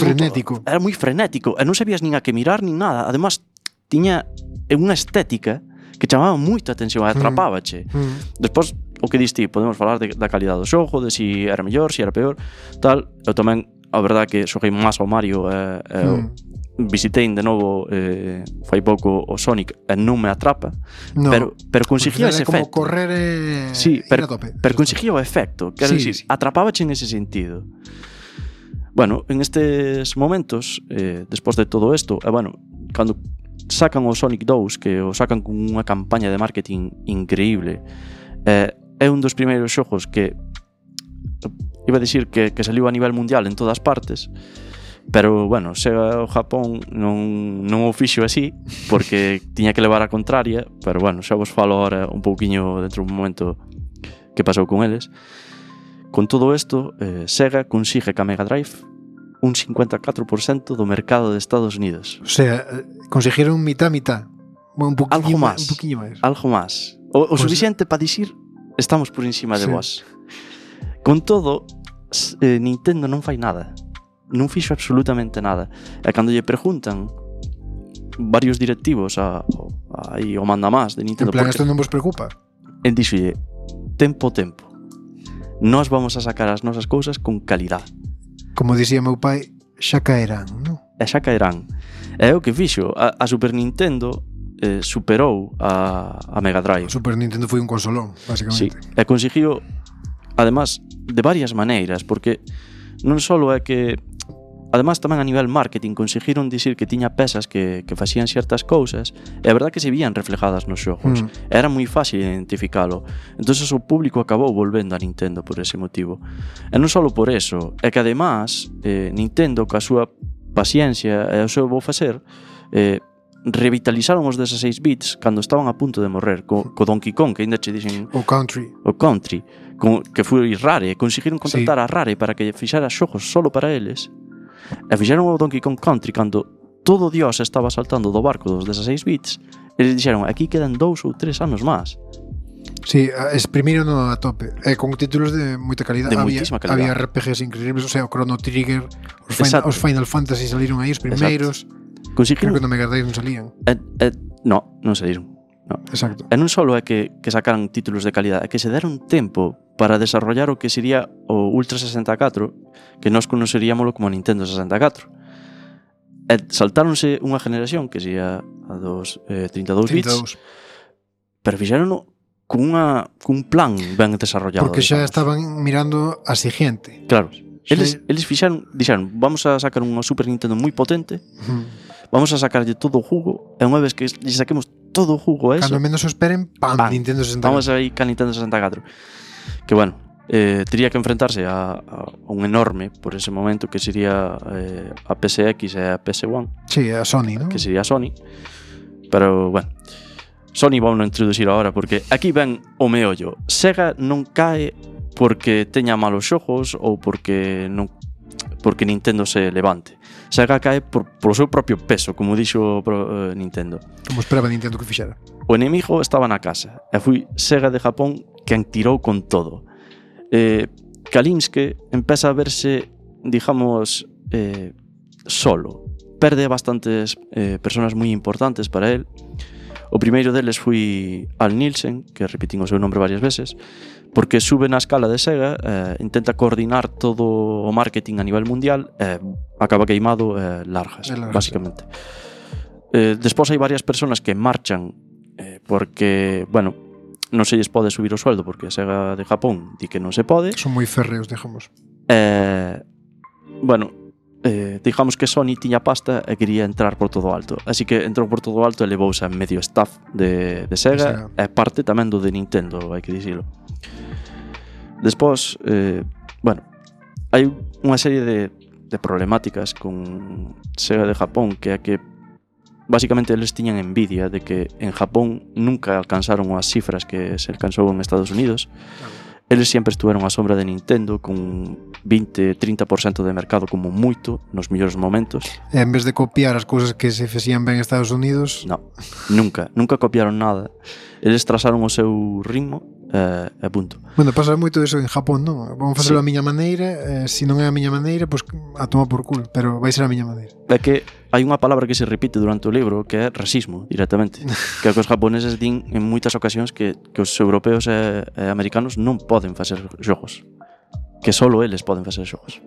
Speaker 3: Frenético.
Speaker 2: Era moi frenético, e non sabías nin a que mirar nin nada. Además, tiña unha estética que chamaba moita atención, e atrapábache.
Speaker 3: Mm.
Speaker 2: Despois, o que diste, podemos falar de, da calidad do xogo, de si era mellor, si era peor, tal. Eu tamén, a verdad que xoguei máis ao Mario e, e
Speaker 3: Mm.
Speaker 2: visitei de novo eh, fai pouco o Sonic e non me atrapa,
Speaker 3: No,
Speaker 2: pero, pero conseguía ese
Speaker 3: é como
Speaker 2: efecto.
Speaker 3: correr e
Speaker 2: Sí,
Speaker 3: ir
Speaker 2: pero,
Speaker 3: a tope.
Speaker 2: pero conseguía o efecto, quero
Speaker 3: Sí,
Speaker 2: dicir,
Speaker 3: sí.
Speaker 2: atrapábache en ese sentido. Bueno, en estes momentos, eh, despois de todo isto, e eh, bueno, cando sacan o Sonic dous, que o sacan con unha campaña de marketing increíble, eh, é un dos primeiros xogos que iba a dicir que, que saliu a nivel mundial en todas partes, pero bueno, Sega o Japón non, non o fixo así porque tiña que levar a contraria, pero bueno, xa vos falo ahora un pouquiño dentro dun momento que pasou con eles. Con todo isto, eh, Sega consigue que a Mega Drive un cincuenta e catro por cento do mercado de Estados Unidos.
Speaker 3: O sea, eh, conseguiron mitad mitad. Bueno, un poquinho
Speaker 2: Algo
Speaker 3: máis,
Speaker 2: máis.
Speaker 3: un poquinho máis.
Speaker 2: Algo máis. O, o
Speaker 3: Pues-
Speaker 2: suficiente para dicir estamos por encima de
Speaker 3: Sí.
Speaker 2: vos. Con todo, s- eh, Nintendo non fai nada. non fixo absolutamente nada. E cando lle preguntan varios directivos a, a, aí o manda más de Nintendo,
Speaker 3: en plan, isto non vos preocupa?
Speaker 2: En dixolle, tempo, tempo. Nós vamos a sacar as nosas cousas con calidad.
Speaker 3: Como dicía meu pai, xa caerán, non?
Speaker 2: E xa caerán. É o que fixo. A, a Super Nintendo eh, superou a, a Mega Drive.
Speaker 3: O Super Nintendo foi un consolón,
Speaker 2: Sí,
Speaker 3: basicamente.
Speaker 2: e conseguiu, además, de varias maneiras, porque non só é que, además, tamén a nivel marketing conseguiron dicir que tiña pesas que, que facían certas cousas, e a verdad que se vían reflejadas nos xogos.
Speaker 3: Mm.
Speaker 2: Era moi fácil identificalo. Entonces o público acabou volvendo a Nintendo por ese motivo. E non só por eso, é que además eh, Nintendo, ca súa paciencia e o seu bo facer, eh, revitalizaron os dezasseis bits cando estaban a punto de morrer co, co Donkey Kong, que ainda che dixen
Speaker 3: O Country.
Speaker 2: o Country, con, que foi Rare, conseguiron contactar sí. a Rare para que fixara xogos solo para eles, e fixeron o Donkey Kong Country cando todo Dios estaba saltando do barco dos dezasseis bits. Eles dixeron, aquí quedan dous ou tres anos máis.
Speaker 3: Sí, exprimiron a tope, e con títulos de moita calidad.
Speaker 2: De
Speaker 3: había,
Speaker 2: moitísima calidad.
Speaker 3: Había R P Gs increíbles, o sea, o Chrono Trigger, os, final, os Final Fantasy saliron aí os primeiros.
Speaker 2: Conseguiron...
Speaker 3: Creo que no Mega Drive non salían.
Speaker 2: E, e, no, non saíron. No.
Speaker 3: Exacto.
Speaker 2: E non só é que, que sacaran títulos de calidad, é que se deron tempo para desarrollar o que sería o Ultra sesenta e catro, que nós conoceríamoslo como Nintendo sesenta e catro. E saltáronse unha generación que sería a dos eh, trinta e dous bits,
Speaker 3: trinta e dous.
Speaker 2: Pero fixeronno con, unha, con un plan ben desarrollado.
Speaker 3: Porque xa
Speaker 2: digamos.
Speaker 3: estaban mirando a siguiente.
Speaker 2: Claro. Eles,
Speaker 3: Sí.
Speaker 2: eles fixaron, dixeron, vamos a sacar unha Super Nintendo moi potente,
Speaker 3: Uh-huh.
Speaker 2: vamos a sacarlle todo o jugo, e unha vez que lle saquemos todo o jugo a eso,
Speaker 3: Cando menos o esperen, pam,
Speaker 2: Pam.
Speaker 3: Nintendo sesenta e catro.
Speaker 2: vamos a ir ca Nintendo sesenta e catro. Que bueno, eh, tería que enfrentarse a, a un enorme por ese momento que sería eh, a P S X e a P S uno,
Speaker 3: Sí, a Sony, ¿no?
Speaker 2: que sería Sony. Pero bueno, Sony vamos a introducir ahora, porque aquí ven o meollo. Sega non cae porque teña malos xogos ou porque non porque Nintendo se levante. Sega cae por, por o seu propio peso, como dixo uh, Nintendo.
Speaker 3: Como esperaba Nintendo que fixera.
Speaker 2: O enemigo estaba na casa e foi Sega de Japón quen tirou con todo. Eh, Kalinske empeza a verse, digamos, eh, solo. Perde bastantes eh, personas moi importantes para él. O primeiro deles foi Al Nielsen, que repitín o seu nombre varias veces, porque sube na escala de Sega, eh, intenta coordinar todo o marketing a nivel mundial e eh, acaba queimado eh, largas, largas, básicamente. Eh, despois hai varias personas que marchan eh, porque, bueno, non se lles pode subir o sueldo porque a Sega de Japón di que non se pode.
Speaker 3: Son moi férreos, digamos.
Speaker 2: Eh, bueno, eh, digamos que Sony tiña pasta e quería entrar por todo alto, así que entrou por todo alto e levouse a medio staff de, de Sega e parte tamén do de Nintendo, hai que dicilo. Despois, eh, bueno, hai unha serie de, de problemáticas con Sega de Japón, que é que basicamente eles tiñan envidia de que en Japón nunca alcanzaron as cifras que se alcanzou en Estados Unidos. Eles sempre estuveron á sombra de Nintendo con vinte a trinta por cento de mercado como moito nos mellores momentos.
Speaker 3: E en vez de copiar as cousas que se facían ben en Estados Unidos,
Speaker 2: no, nunca, nunca copiaron nada. Eles trazaron o seu ritmo e eh, punto.
Speaker 3: Bueno, pasa moito eso en Japón, non? Vamos facelo sí. a miña maneira, eh, se non é a miña maneira, pois pues, a tomar por culo, pero vai ser a miña maneira.
Speaker 2: É que hai unha palabra que se repite durante o libro que é racismo, directamente. Que é que os japoneses din en moitas ocasións que, que os europeos e, e americanos non poden facer xogos. Que solo eles poden facer xogos.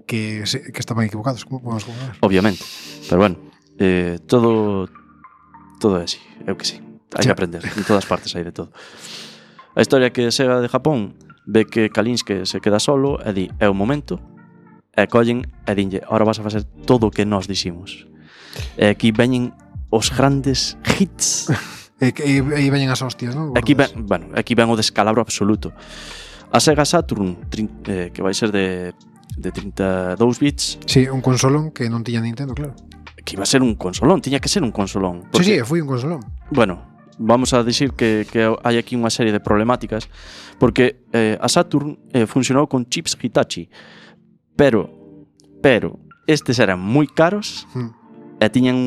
Speaker 3: Que, que estaban equivocados, como podemos comparar?
Speaker 2: Obviamente. Pero bueno, eh, todo todo é así, eu que sei. Hai sí. que aprender, en todas partes hai de todo. A historia que Sega de Japón ve que Kalinske se queda solo e di, é o momento, e collen e dinlle, ahora vas a facer todo o que nós diximos. E aquí veñen os grandes hits.
Speaker 3: E aí veñen as hostias, non?
Speaker 2: Aquí ven, bueno, aquí ven o descalabro absoluto. A Sega Saturn, eh, que vai ser de, de trinta e dous bits.
Speaker 3: Sí, un consolón que non tiña Nintendo, claro.
Speaker 2: Que iba a ser un consolón, tiña que ser un consolón. Porque,
Speaker 3: sí, sí, foi un consolón.
Speaker 2: Bueno, vamos a dicir que, que hai aquí unha serie de problemáticas, porque eh, a Saturn eh, funcionou con chips Hitachi, pero pero estes eran moi caros mm. e tiñan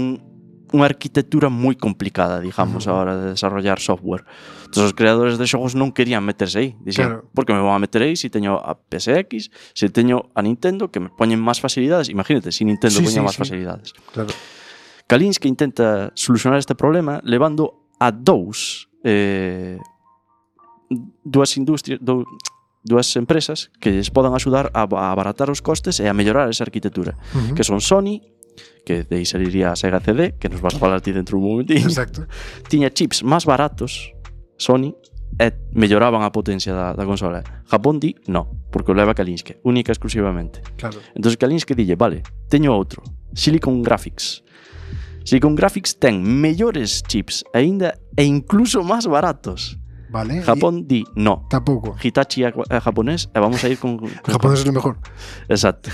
Speaker 2: unha arquitectura moi complicada, digamos, a hora de desarrollar software. Entón, os creadores de xogos non querían meterse aí. Dixen,
Speaker 3: Claro.
Speaker 2: por que me vou a meter aí se teño a P S X, se teño a Nintendo, que me poñen máis facilidades. Imagínate, se Nintendo
Speaker 3: Sí,
Speaker 2: poña
Speaker 3: sí,
Speaker 2: máis
Speaker 3: sí.
Speaker 2: facilidades.
Speaker 3: Claro.
Speaker 2: Kalinske intenta solucionar este problema levando a dous eh, dúas industrias, dou, dúas empresas que lles podan axudar a, a abaratar os costes e a mellorar esa arquitectura,
Speaker 3: Uh -huh.
Speaker 2: que son Sony, que de aí saliría a Sega C D, que nos vas falar ti dentro dun momentín.
Speaker 3: Exacto.
Speaker 2: Tiña chips máis baratos, Sony, e melloraban a potencia da, da consola. Japón di, no, porque o leva Kalinske, única e exclusivamente.
Speaker 3: Claro.
Speaker 2: Entón Kalinske dille, vale, teño outro, Silicon Graphics. Silicon Graphics ten mellores chips aínda e incluso máis baratos.
Speaker 3: Vale.
Speaker 2: Japón di, no.
Speaker 3: Tampouco.
Speaker 2: Hitachi é japonés e vamos a ir con... con
Speaker 3: Japón é o mejor.
Speaker 2: Exacto.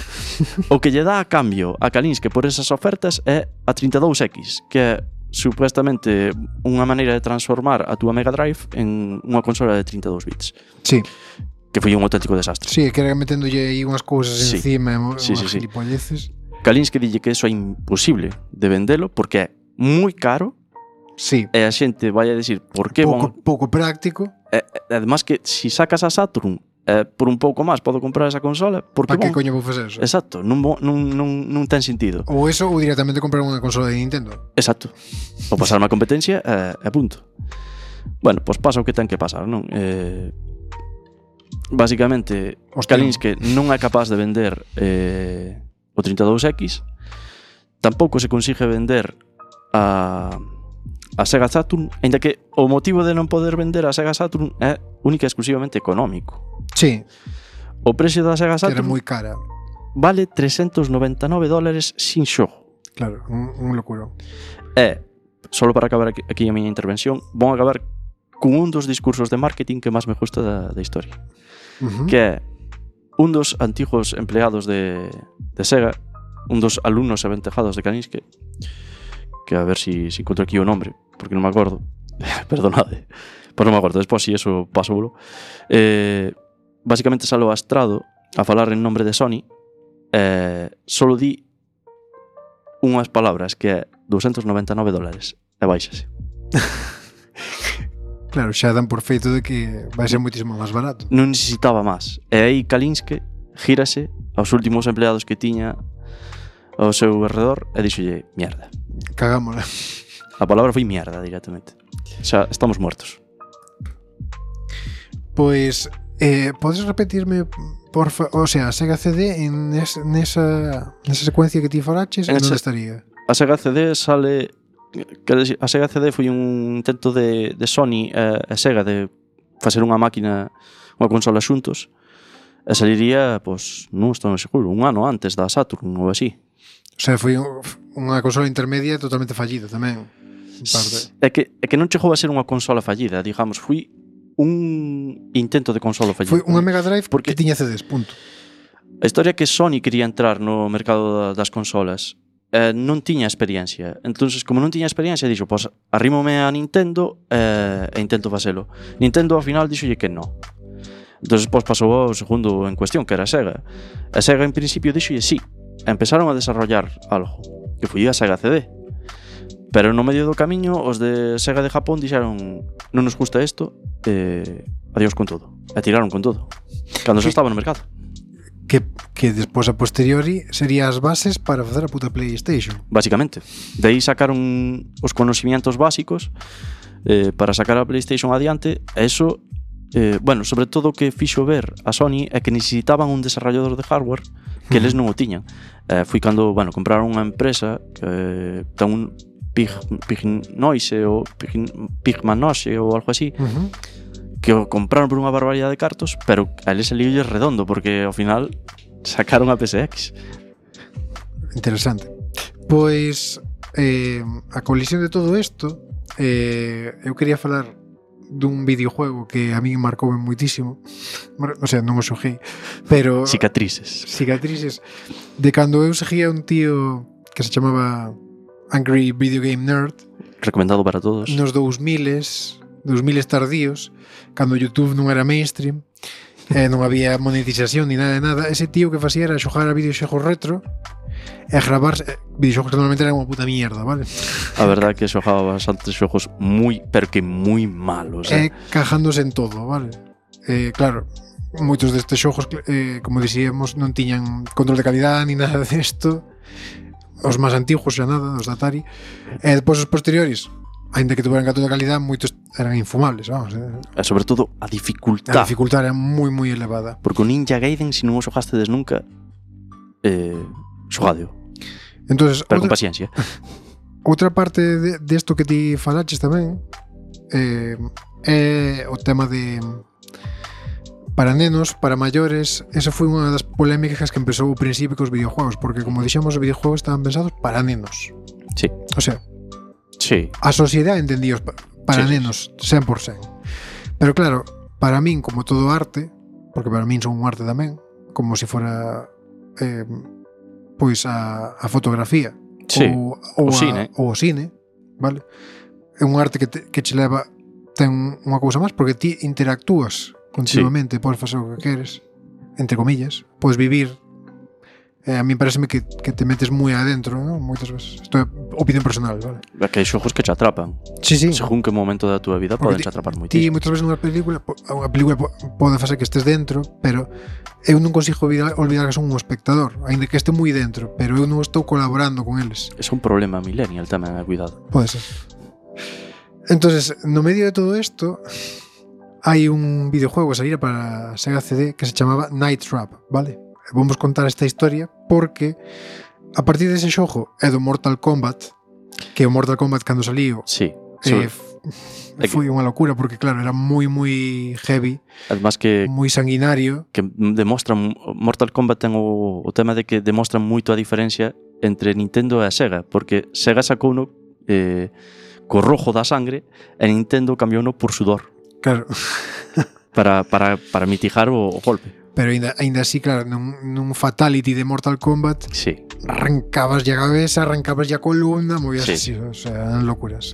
Speaker 2: O que lle dá a cambio a Kalinske por esas ofertas é a trinta e dous X, que é supuestamente unha maneira de transformar a túa Mega Drive en unha consola de trinta e dous bits.
Speaker 3: Sí.
Speaker 2: Que foi un auténtico desastre.
Speaker 3: Sí, que era meténdolle aí unhas cousas
Speaker 2: Sí.
Speaker 3: encima,
Speaker 2: Sí,
Speaker 3: unhas
Speaker 2: sí, sí.
Speaker 3: gilipolleces.
Speaker 2: Kalinske dille que eso é imposible de vendelo porque é moi caro
Speaker 3: Sí.
Speaker 2: e a xente vai a decir por que
Speaker 3: Pouco,
Speaker 2: bon...
Speaker 3: pouco práctico.
Speaker 2: E, e, además que si sacas a Saturn eh, por un pouco máis podo comprar esa consola porque
Speaker 3: Para que
Speaker 2: bon...
Speaker 3: coño vou facer eso?
Speaker 2: Exacto, non, bo- non, non, non ten sentido.
Speaker 3: Ou eso ou directamente comprar unha consola de Nintendo.
Speaker 2: Exacto. O pasar má competencia e, e punto. Bueno, pois pasa o que ten que pasar, non? Eh, basicamente,
Speaker 3: Hostia.
Speaker 2: Kalinske non é capaz de vender eh, o trinta e dous X, tampouco se consigue vender a, a Sega Saturn, aínda que o motivo de non poder vender a Sega Saturn é única e exclusivamente económico.
Speaker 3: Sí,
Speaker 2: O precio da Sega
Speaker 3: que era
Speaker 2: Saturn
Speaker 3: moi cara.
Speaker 2: vale trescentos noventa e nove dólares sin xogo.
Speaker 3: Claro, un, un locuro.
Speaker 2: E, solo para acabar aquí, aquí a miña intervención, vou acabar con un dos discursos de marketing que máis me gusta da, da historia,
Speaker 3: Uh -huh.
Speaker 2: que é un dos antigos empleados de, de Sega, un dos alumnos aventajados de Kalinske, que a ver si, si encontro aquí o nombre, porque non me acordo. Perdonade. Pois non me acordo, despois si eso paso. Eh, basicamente salo astrado a falar en nombre de Sony, eh, solo di unhas palabras que é doscientos noventa e nove dólares e baixase.
Speaker 3: Claro, xa dan por feito de que vai ser moitísimo máis barato.
Speaker 2: Non necesitaba máis. E aí Kalinske gírase aos últimos empleados que tiña ao seu alrededor e dixolle, mierda.
Speaker 3: Cagámola.
Speaker 2: A palabra foi mierda directamente. Xa estamos muertos.
Speaker 3: Pois, eh, podes repetirme, porfa, o sea, a Sega C D en es, nesa, nesa secuencia que ti falaches,
Speaker 2: En
Speaker 3: en onde
Speaker 2: ese-
Speaker 3: estaría?
Speaker 2: A Sega C D sale... Quero dicir, a Sega C D foi un intento de, de Sony e, e Sega de facer unha máquina, unha consola xuntos, e saliría, pois, non estou seguro, un ano antes da Saturn ou así.
Speaker 3: O sea, foi un- unha consola intermedia totalmente fallida tamén. En parte.
Speaker 2: É que, é que non chegou a ser unha consola fallida, digamos, foi un intento de consola fallida.
Speaker 3: Foi unha Mega Drive
Speaker 2: Porque-
Speaker 3: que tiña C Ds, punto.
Speaker 2: A historia é que Sony quería entrar no mercado da- das consolas eh, non tiña experiencia. Entonces, como non tiña experiencia, dixo, pois, arrímome a Nintendo eh, e intento facelo. Nintendo, ao final, dixolle que non. Entonces, pois, pasou ao segundo en cuestión, que era Sega. A Sega, en principio, dixolle sí. E empezaron a desarrollar algo, que foi a Sega C D. Pero no medio do camiño, os de Sega de Japón dixeron, non nos gusta isto, eh, adiós con todo. E tiraron con todo. Cando xa estaba no mercado.
Speaker 3: Que, que despois a posteriori sería as bases para facer a puta PlayStation.
Speaker 2: Básicamente. De aí sacaron os conocimientos básicos eh, para sacar a PlayStation adiante. E eso, eh, bueno, sobre todo o que fixo ver a Sony é que necesitaban un desarrollador de hardware que eles non o tiñan. Eh, foi cando, bueno, compraron unha empresa que eh, ten un Pig, Pig Noise ou Pig, Pigman Noise ou algo así,
Speaker 3: Uh -huh.
Speaker 2: que o compraron por unha barbaridade de cartos, pero a eles saliulle redondo porque ao final sacaron a P S X.
Speaker 3: Interesante. Pois eh, a colisión de todo isto, eh, eu quería falar dun videojuego que a mí marcou moitísimo. O sea, non o xoguei, pero
Speaker 2: Cicatrices.
Speaker 3: cicatrices de cando eu seguía un tío que se chamaba Angry Video Game Nerd
Speaker 2: Recomendado para todos.
Speaker 3: nos dous miles, dous miles tardíos, cando YouTube non era mainstream e non había monetización ni nada de nada. Ese tío que facía era xogar a videoxogos retro e gravar eh, videoxogos que normalmente eran unha puta mierda, vale?
Speaker 2: A verdade é que xogaba bastantes xogos moi, pero que moi malos,
Speaker 3: eh?
Speaker 2: eh?
Speaker 3: Cajándose en todo, vale? Eh, claro, moitos destes xogos, eh, como dixíamos, non tiñan control de calidad ni nada desto. Os máis antigos xa nada, os da Atari. E depois os posteriores, ainda que tuveran control de calidad, moitos eran infumables, vamos. Eh.
Speaker 2: E sobre todo a dificultad.
Speaker 3: A dificultad era moi moi elevada.
Speaker 2: Porque o Ninja Gaiden, se non o xogastedes nunca, eh, xogadeo.
Speaker 3: Entonces,
Speaker 2: pero
Speaker 3: outra,
Speaker 2: con paciencia.
Speaker 3: Outra parte de, desto que ti falaches tamén eh, é o tema de para nenos, para maiores. Esa foi unha das polémicas que empezou ao principio cos videojuegos, porque como dixemos, os videojuegos estaban pensados para nenos.
Speaker 2: Sí.
Speaker 3: O sea,
Speaker 2: sí.
Speaker 3: A sociedade entendíos para sí, nenos cen por cento. Pero claro, para min, como todo arte, porque para min son un arte tamén, como se fora eh, pois a, a fotografía,
Speaker 2: sí.
Speaker 3: ou, ou,
Speaker 2: o
Speaker 3: a,
Speaker 2: cine.
Speaker 3: ou o cine, vale? É un arte que, te, que che leva, ten unha cousa máis, porque ti interactúas continuamente, sí. Podes facer o que queres, entre comillas, podes vivir. Eh, a mí pareceme que, que te metes moi adentro, ¿no? Moitas veces. Isto é opinión personal, vale?
Speaker 2: É que hai xogos que te atrapan.
Speaker 3: Sí, sí.
Speaker 2: Según que momento da túa vida poden te atrapar moitísimo.
Speaker 3: Ti moitas veces nunha película, unha película pode facer que estés dentro, pero eu non consigo olvidar que son un espectador, aínda que este moi dentro, pero eu non estou colaborando con eles.
Speaker 2: É un problema millennial tamén, cuidado.
Speaker 3: Pode ser. Entonces, no medio de todo isto, hai un videojuego que saíra para Sega C D que se chamaba Night Trap, vale? Vamos contar esta historia porque a partir dese xogo é do Mortal Kombat, que o Mortal Kombat cando saliu,
Speaker 2: sí,
Speaker 3: eh, f- foi unha locura porque claro, era moi moi heavy,
Speaker 2: además que
Speaker 3: moi sanguinario,
Speaker 2: que demostran Mortal Kombat ten o, o tema de que demostran moito a diferencia entre Nintendo e a Sega, porque Sega sacou uno eh, co rojo da sangre e Nintendo cambiou uno por sudor.
Speaker 3: Claro.
Speaker 2: para, para, para mitigar o, o golpe.
Speaker 3: Pero ainda, ainda así, claro, nun, nun fatality de Mortal Kombat,
Speaker 2: sí.
Speaker 3: Arrancabas ya a cabeza, arrancabas ya a columna, movías
Speaker 2: sí.
Speaker 3: así, o sea, eran locuras.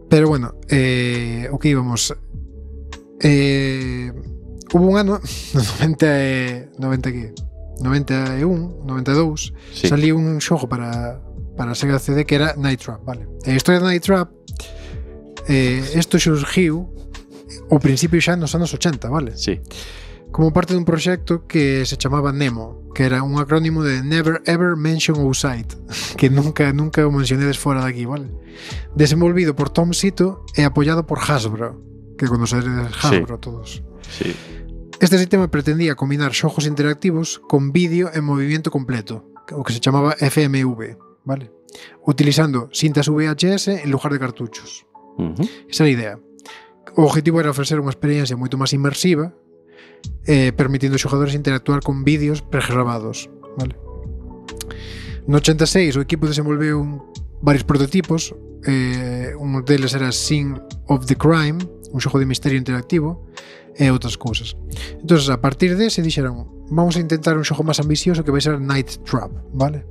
Speaker 3: Pero bueno, eh, o que íbamos, eh, hubo un ano, no noventa, noventa que, noventa e un, noventa e dous, sí. Saliu un xogo para para Sega C D que era Night Trap, vale? E a historia de Night Trap, eh, isto xurgiu ao principio xa nos anos ochenta, vale?
Speaker 2: Sí.
Speaker 3: Como parte dun proxecto que se chamaba Nemo, que era un acrónimo de Never Ever Mention Outside, que nunca nunca o mencionedes fora de aquí, vale? Desenvolvido por Tom Sito e apoiado por Hasbro, que conoceredes Hasbro sí. Todos.
Speaker 2: Sí.
Speaker 3: Este sistema pretendía combinar xogos interactivos con vídeo en movimiento completo, o que se chamaba F M V, vale? Utilizando cintas V H S en lugar de cartuchos.
Speaker 2: Uh-huh.
Speaker 3: Esa era a idea. O objetivo era ofrecer unha experiencia moito máis inmersiva, eh, permitindo aos xogadores interactuar con vídeos pregrabados, vale? No ochenta e seis o equipo desenvolveu un, varios prototipos, eh, un deles era Scene of the Crime, un xogo de misterio interactivo e outras cousas. Entonces, a partir dese dixeron, vamos a intentar un xogo máis ambicioso que vai ser Night Trap, vale?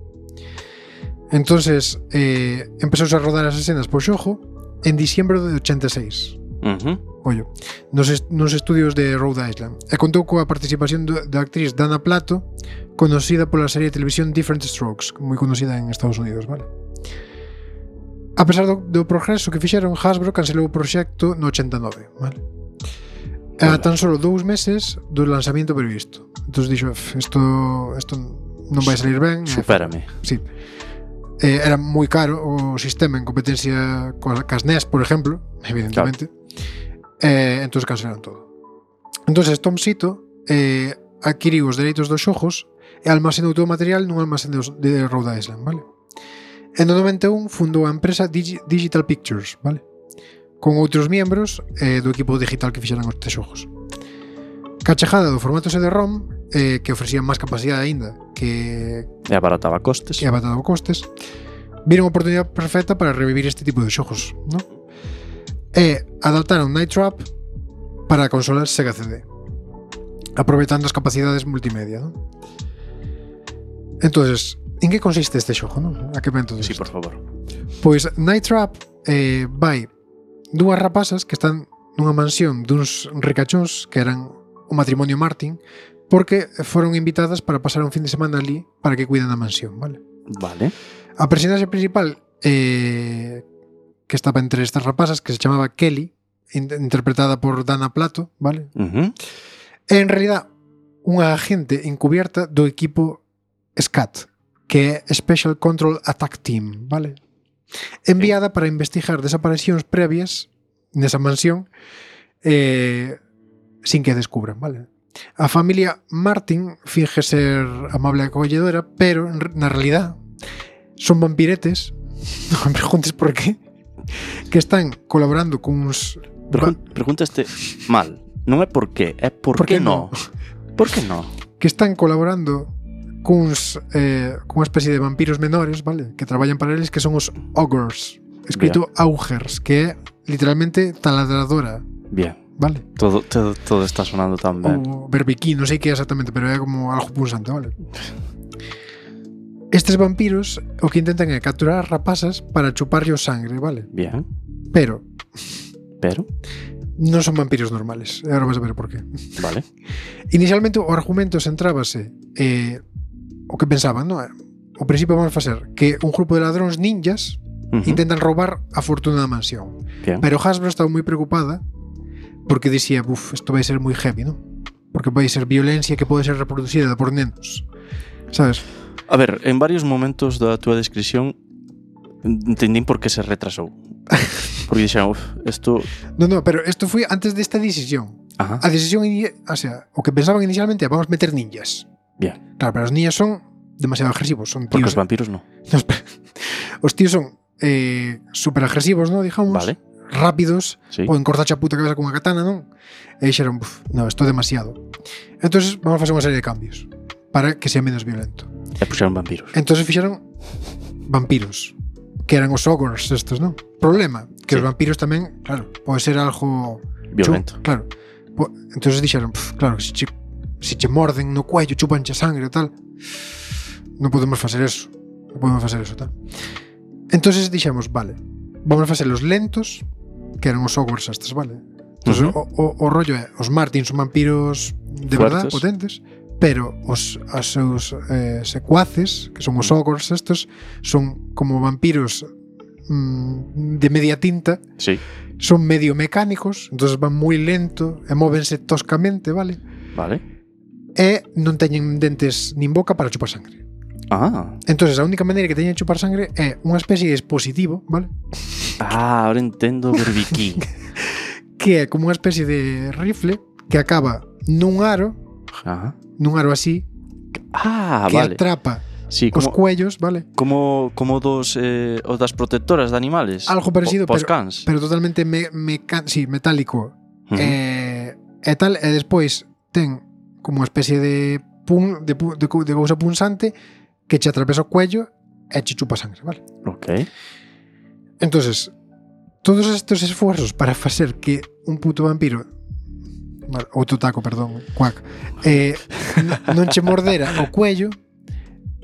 Speaker 3: Entonces, eh, empezouse a rodar as escenas por xogo en diciembre de ochenta e seis.
Speaker 2: Uh-huh.
Speaker 3: Ollo, nos, est- nos estudios de Rhode Island, e contou coa participación do, da actriz Dana Plato, conocida pola serie de televisión Different Strokes, moi conocida en Estados Unidos, vale? A pesar do, do progreso que fixeron, Hasbro cancelou o proxecto no ochenta e nove, vale? E a tan solo dous meses do lanzamento previsto. Entón dixo, isto isto non vai salir ben.
Speaker 2: Supérame.
Speaker 3: Sí. Eh, era moi caro o sistema en competencia coas cas N E S, por exemplo, evidentemente. Claro. Eh, entón cancelaron todo. Entón Tom Sito eh, adquiriu os dereitos dos xogos e almacenou todo o material nun almacén de, de Rhode Island, vale? En no noventa e un fundou a empresa Digi- Digital Pictures, vale? Con outros membros eh, do equipo digital que fixeran estes xogos. Cachejada do formato C D ROM, eh, que ofrecía máis capacidade aínda, que
Speaker 2: e abarataba costes.
Speaker 3: E abarataba costes. Viron a oportunidade perfecta para revivir este tipo de xogos, ¿no? E adaptaron Night Trap para consolas Sega C D, aproveitando as capacidades multimedia, ¿no? Entonces, en que consiste este xogo, ¿no? A que ven todo
Speaker 2: Sí,
Speaker 3: isto?
Speaker 2: por favor.
Speaker 3: Pois Night Trap eh, vai dúas rapazas que están nunha mansión duns ricachóns que eran o matrimonio Martin, porque foron invitadas para pasar un fin de semana ali para que cuiden da mansión, vale?
Speaker 2: Vale.
Speaker 3: A personaxe principal eh, que estaba entre estas rapazas, que se chamaba Kelly, in- interpretada por Dana Plato, vale?
Speaker 2: Uh-huh.
Speaker 3: É en realidad unha agente encubierta do equipo SCAT, que é Special Control Attack Team, vale? Enviada para investigar desaparicións previas nesa mansión eh, sin que descubran, vale? A familia Martin finge ser amable e acolledora, pero na realidad son vampiretes, non me preguntes por qué, que están colaborando cuns...
Speaker 2: Pregun- Preguntaste mal. Non é por qué, é por,
Speaker 3: Por
Speaker 2: qué
Speaker 3: que
Speaker 2: no. Por que no?
Speaker 3: que están colaborando cuns eh, cunha especie de vampiros menores, vale? Que traballan para eles, que son os ogres, escrito augers, que é literalmente taladradora,
Speaker 2: Bien.
Speaker 3: vale?
Speaker 2: Todo, todo, todo está sonando tan ben.
Speaker 3: Ou berbiquí, non sei que é exactamente, pero é como algo punzante, vale? Estes vampiros o que intentan é capturar as rapazas para chuparlle o sangre, vale?
Speaker 2: Bien.
Speaker 3: Pero
Speaker 2: Pero,
Speaker 3: non son vampiros normales, e agora vas a ver por qué.
Speaker 2: vale.
Speaker 3: Inicialmente o argumento centrábase eh, o que pensaban, non? O principio vamos a facer que un grupo de ladróns ninjas
Speaker 2: Uh-huh.
Speaker 3: intentan roubar a fortuna da mansión.
Speaker 2: Bien.
Speaker 3: Pero Hasbro estaba moi preocupada porque dicía, buf, isto vai ser moi heavy, non? Porque vai ser violencia que pode ser reproducida por nenos. Sabes?
Speaker 2: A ver, en varios momentos da túa descripción entendín por que se retrasou. Porque dixeron, uf, isto...
Speaker 3: No, no, pero isto foi antes desta decisión.
Speaker 2: Ajá.
Speaker 3: A decisión, ini- o sea, o que pensaban inicialmente é vamos meter ninjas.
Speaker 2: Bien.
Speaker 3: Claro, pero os ninjas son demasiado agresivos, son
Speaker 2: Porque
Speaker 3: tíos.
Speaker 2: os vampiros no.
Speaker 3: No, espera. Os tíos son eh, super agresivos, ¿no? Digamos.
Speaker 2: Vale.
Speaker 3: Rápidos.
Speaker 2: Sí.
Speaker 3: Poden cortarche a puta cabeza con unha katana, non? E dixeron, buf, no, isto é demasiado. Entonces vamos a facer unha serie de cambios para que sea menos violento.
Speaker 2: E puxeron vampiros.
Speaker 3: Entonces fixeron vampiros, que eran os ogres estos, non? Problema, que
Speaker 2: Sí.
Speaker 3: os vampiros tamén, claro, pode ser algo
Speaker 2: Violento.
Speaker 3: chu- claro. Po- Entonces dixeron, puf, claro, que se che, se che morden no cuello, chupanche sangre e tal, non podemos facer eso. Non podemos facer eso, tal. Entonces dixemos, vale, vamos a facer los lentos, que eran os ogres estes, vale? Entonces,
Speaker 2: Uh-huh.
Speaker 3: o, o, o rollo é, os Martin son vampiros de verdad,
Speaker 2: Fuertes.
Speaker 3: potentes, pero os as seus eh, secuaces, que son os ogres estes, son como vampiros mm, de media tinta,
Speaker 2: Sí.
Speaker 3: son medio mecánicos, entonces van moi lento e móvense toscamente, vale?
Speaker 2: Vale.
Speaker 3: E non teñen dentes nin boca para chupar sangre.
Speaker 2: Ah.
Speaker 3: Entonces a única maneira que teñen de chupar sangre é unha especie de dispositivo, vale?
Speaker 2: Ah, ahora entendo Berbiquí.
Speaker 3: Que é como unha especie de rifle que acaba nun aro,
Speaker 2: Ajá.
Speaker 3: nun aro así,
Speaker 2: Ah,
Speaker 3: que
Speaker 2: vale.
Speaker 3: atrapa
Speaker 2: Sí,
Speaker 3: os
Speaker 2: como,
Speaker 3: cuellos, vale?
Speaker 2: como, como dos eh, os das protectoras de animales.
Speaker 3: Algo parecido,
Speaker 2: Po- pos
Speaker 3: pero,
Speaker 2: cans.
Speaker 3: pero totalmente me, meca- sí, metálico.
Speaker 2: Ujú.
Speaker 3: Eh, e tal, e despois ten como unha especie de pun, de, pu- de, cou- de cousa punzante que che atravesa o cuello e che chupa sangre, vale?
Speaker 2: Ok.
Speaker 3: Entonces, todos estes esfuerzos para facer que un puto vampiro, vale, ou taco, perdón, cuac, eh, n- non che mordera o cuello,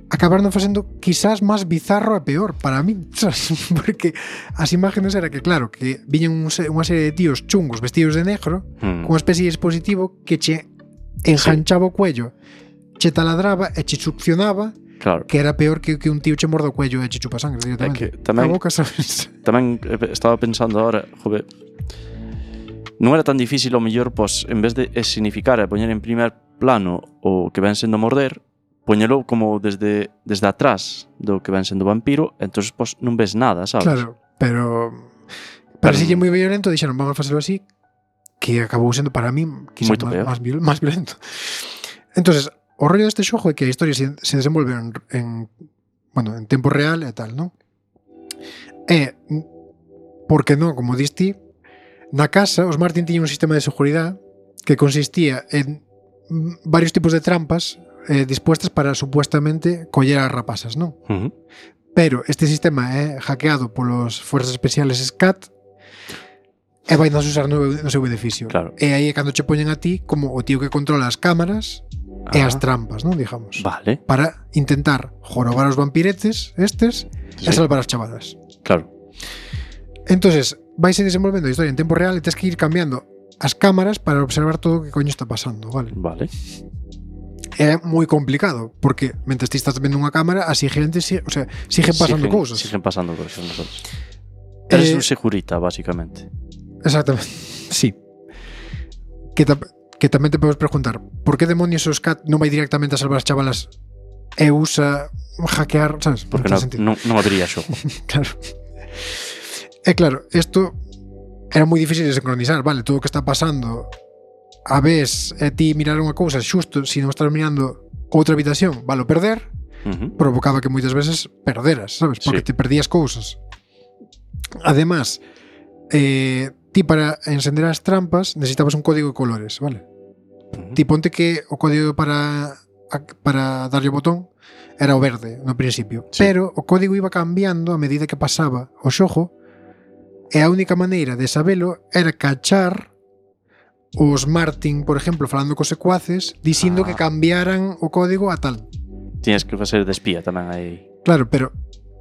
Speaker 3: acabaron facendo quizás máis bizarro e peor para mí, sabes? Porque as imágenes era que, claro, que viñen un se- unha serie de tíos chungos vestidos de negro
Speaker 2: Hmm.
Speaker 3: con unha especie de dispositivo que che enganchaba o cuello, che taladraba e che succionaba,
Speaker 2: Claro.
Speaker 3: que era peor que que un tío che morda o cuello e che chupa sangre directamente.
Speaker 2: É que tamén-
Speaker 3: a boca, sabes?
Speaker 2: Tamén eh, estaba pensando ahora, jove, non era tan difícil o mellor, pois, en vez de significar e poñer en primer plano o que ven sendo morder, poñelo como desde desde atrás do que ven sendo vampiro, entonces pois non ves nada, sabes?
Speaker 3: Claro, pero
Speaker 2: Pero-
Speaker 3: parecille moi violento, dixeron, vamos a facelo así, que acabou sendo para mí quizás
Speaker 2: Moito
Speaker 3: máis,
Speaker 2: peor.
Speaker 3: máis, viol- máis violento. Entonces, o rollo deste xogo é que a historia se, se desenvolve en, en bueno, en tempo real e tal, non? E porque non, como diste, na casa os Martin tiñan un sistema de seguridade que consistía en mm, varios tipos de trampas eh, dispuestas para supuestamente coller as rapazas, non?
Speaker 2: Uh -huh.
Speaker 3: Pero este sistema é hackeado polos Fuerzas Especiales SCAT e vai nos usar no, no seu beneficio.
Speaker 2: Claro.
Speaker 3: E aí é cando che poñen a ti como o tío que controla as cámaras e
Speaker 2: Ah.
Speaker 3: as trampas, non, digamos.
Speaker 2: Vale,
Speaker 3: Para intentar jorobar os vampiretes estes
Speaker 2: sí,
Speaker 3: e salvar as chavadas.
Speaker 2: claro.
Speaker 3: Entonces, vaise desenvolvendo a historia en tempo real e tens que ir cambiando as cámaras para observar todo o que coño está pasando, vale?
Speaker 2: Vale.
Speaker 3: é moi complicado, porque mentre ti estás vendo unha cámara, así gente, o sea, siguen pasando
Speaker 2: siguen,
Speaker 3: cousas.
Speaker 2: Siguen pasando cousas nosotros. Eres
Speaker 3: Eh,
Speaker 2: un segurita, básicamente.
Speaker 3: Exactamente, sí. Que, ta, que tamén te podes preguntar, por que demonios o Scat non vai directamente a salvar as chavalas e usa hackear, sabes?
Speaker 2: Porque non, non, non habría xogo.
Speaker 3: Claro. E claro, isto era moi difícil de sincronizar, vale, todo o que está pasando a vez e ti mirar unha cousa xusto, se non estás mirando outra habitación, vale, perder,
Speaker 2: Uh-huh.
Speaker 3: provocaba que moitas veces perderas, sabes? Porque
Speaker 2: Sí.
Speaker 3: te perdías cousas. Además, eh, ti para encender as trampas necesitabas un código de colores, vale?
Speaker 2: Uh-huh.
Speaker 3: Ti ponte que o código para para darlle o botón era o verde no principio,
Speaker 2: Sí.
Speaker 3: pero o código iba cambiando a medida que pasaba o xogo e a única maneira de sabelo era cachar os Martin, por exemplo, falando cos secuaces dicindo
Speaker 2: Ah.
Speaker 3: que cambiaran o código a tal.
Speaker 2: Tienes que facer de espía tamén aí.
Speaker 3: Claro, pero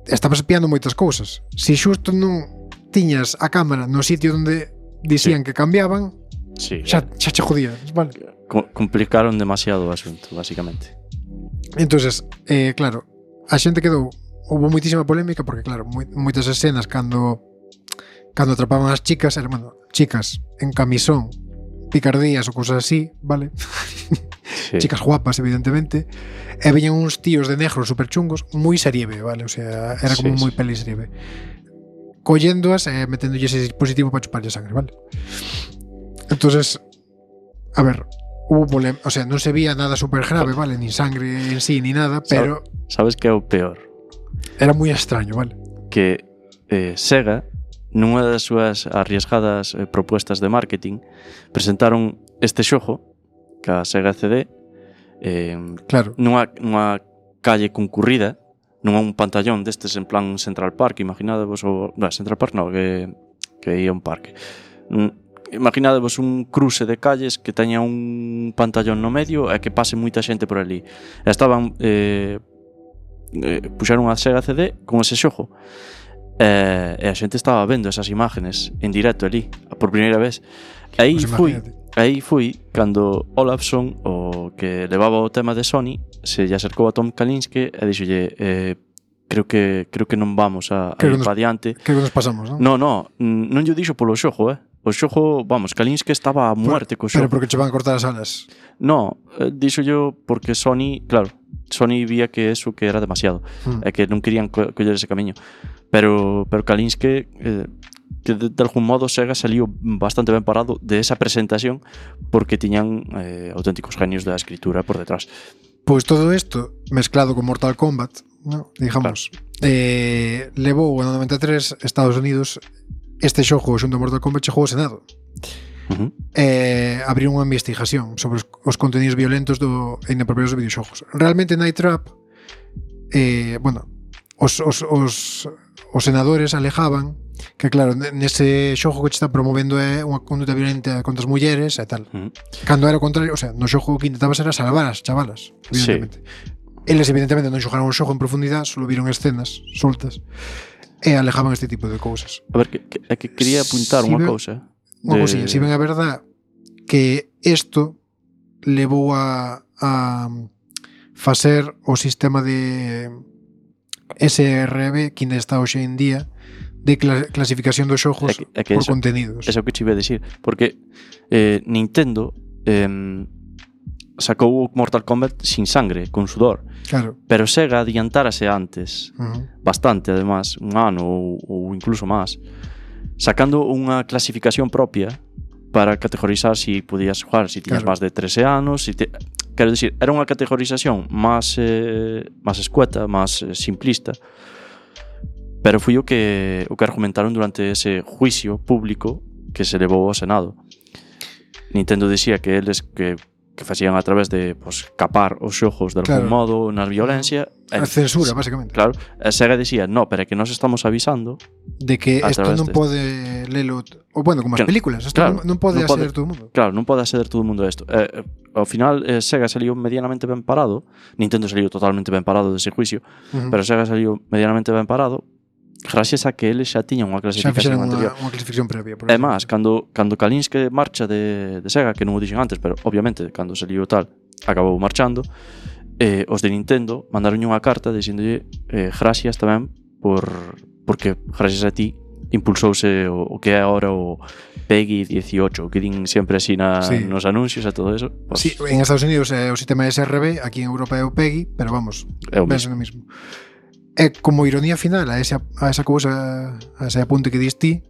Speaker 3: estabas espiando moitas cousas. Se xusto non tiñas a cámara no sitio onde dicían
Speaker 2: Sí.
Speaker 3: que cambiaban,
Speaker 2: Sí.
Speaker 3: xa, xa che jodías, vale?
Speaker 2: Co- complicaron demasiado o asunto, básicamente.
Speaker 3: Entonces, eh, claro, a xente quedou, houve moitísima polémica porque claro, moi, moitas escenas cando cando atrapaban as chicas, eran, bueno, chicas en camisón, picardías ou cousas así, vale?
Speaker 2: Sí.
Speaker 3: Chicas guapas, evidentemente, e veñan uns tíos de negro super chungos, moi seriebe, vale? O sea, era como
Speaker 2: Sí,
Speaker 3: moi
Speaker 2: sí.
Speaker 3: peli seriebe. Colléndoas e meténdolles ese dispositivo para chuparlle sangre, vale? Entonces, a ver, hubo polem, o sea, non se vía nada super grave, vale? Ni sangre en sí, ni nada, pero
Speaker 2: Sabes que é o peor?
Speaker 3: era moi extraño, vale?
Speaker 2: Que eh, Sega, nunha das súas arriesgadas eh, propuestas de marketing, presentaron este xogo, que a Sega C D, eh,
Speaker 3: Claro,
Speaker 2: nunha, nunha calle concurrida, non un pantallón destes en plan Central Park, imaginadevos o... Non, Central Park non, que, que ia un parque. Mm, imaginadevos un cruce de calles que teña un pantallón no medio e que pase moita xente por ali. E estaban... Eh, eh, puxeron a Sega C D con ese xogo. E, e a xente estaba vendo esas imágenes en directo ali, por primeira vez. E aí
Speaker 3: pues
Speaker 2: fui...
Speaker 3: imagínate.
Speaker 2: Aí fui cando Olafsson, o que levaba o tema de Sony, se lle acercou a Tom Kalinske e dixolle eh, creo que creo que non vamos a, a
Speaker 3: Creo
Speaker 2: ir
Speaker 3: que nos-
Speaker 2: para diante.
Speaker 3: Que nos pasamos, non?
Speaker 2: No, no, non lle dixo polo xogo, eh. O xogo, vamos, Kalinske estaba a muerte co
Speaker 3: Pero
Speaker 2: xogo.
Speaker 3: porque che van a cortar as alas.
Speaker 2: No, eh, dixo yo porque Sony, claro, Sony vía que eso que era demasiado
Speaker 3: Mm.
Speaker 2: e que non querían co coller ese camiño. Pero pero Kalinske eh, que de, de algún modo Sega saliu bastante ben parado de esa presentación porque tiñan eh, auténticos genios da escritura por detrás.
Speaker 3: Pois todo isto mezclado con Mortal Kombat, ¿no? Digamos, eh, levou no noventa e tres Estados Unidos este xogo xunto a Mortal Kombat chegou ao Senado.
Speaker 2: Uh -huh.
Speaker 3: Eh, abriu unha investigación sobre os, os contenidos violentos do e inapropiados dos videoxogos. Realmente Night Trap, eh, bueno, os, os, os, os senadores alejaban que claro, nese xogo que che está promovendo é unha conduta violenta contra as mulleres e tal.
Speaker 2: Uh -huh.
Speaker 3: Cando era o contrario, o sea, no xogo que intentabas era salvar as chavalas, evidentemente. Sí. Eles evidentemente non xogaron o xogo en profundidade, solo viron escenas soltas e alejaban este tipo de cousas.
Speaker 2: A ver, que, que, que quería apuntar
Speaker 3: Si
Speaker 2: unha
Speaker 3: ven,
Speaker 2: cousa.
Speaker 3: Unha de... cousinha, si ben a verdad que isto levou a, a facer o sistema de S R B que ainda está hoxe en día de cla clasificación dos xogos
Speaker 2: é que, é que
Speaker 3: por
Speaker 2: eso,
Speaker 3: contenidos.
Speaker 2: Eso que te iba a decir, porque eh, Nintendo eh, sacou Mortal Kombat sin sangre, con sudor.
Speaker 3: Claro.
Speaker 2: Pero Sega adiantárase antes,
Speaker 3: Uh -huh.
Speaker 2: bastante además, un ano ou, ou incluso máis, sacando unha clasificación propia para categorizar si podías jugar, si tiñas
Speaker 3: Claro.
Speaker 2: máis de trece anos, si te... quero dicir, era unha categorización máis eh, máis escueta, máis eh, simplista. Pero foi o que o que argumentaron durante ese juicio público que se levou ao Senado. Nintendo dicía que eles que que facían a través de pues, capar os xogos de algún
Speaker 3: Claro.
Speaker 2: modo na violencia.
Speaker 3: A censura, básicamente.
Speaker 2: Claro, a Sega dicía, no, pero é que nos estamos avisando
Speaker 3: De que
Speaker 2: a
Speaker 3: isto
Speaker 2: través
Speaker 3: non
Speaker 2: deste.
Speaker 3: pode lelo, ou bueno, como as
Speaker 2: Que-
Speaker 3: películas, isto
Speaker 2: claro,
Speaker 3: non, non pode
Speaker 2: non pode-
Speaker 3: acceder todo o mundo.
Speaker 2: Claro, non pode acceder todo o mundo a isto. Eh, eh, ao final, eh, Sega saliu medianamente ben parado. Nintendo saliu totalmente ben parado dese juicio,
Speaker 3: Uh -huh.
Speaker 2: pero Sega saliu medianamente ben parado gracias a que eles xa tiñan unha
Speaker 3: Xa
Speaker 2: clasificación
Speaker 3: fixeron
Speaker 2: anterior.
Speaker 3: unha, unha clasificación previa. Por
Speaker 2: É
Speaker 3: exemplo.
Speaker 2: máis, cando, cando Kalinske marcha de, de Sega, que non o dixen antes, pero obviamente cando saliu tal, acabou marchando. E os de Nintendo mandaron unha carta dixéndolle eh, gracias tamén por porque gracias a ti impulsouse o, o que é agora o PEGI dieciocho, que din sempre así na, sí. nos anuncios e todo eso. Pues,
Speaker 3: sí, en Estados Unidos é o sistema S R B, aquí en Europa é o PEGI, pero vamos, é o mesmo. mismo. É como ironía final a esa, a esa cousa, a ese apunte que dis ti,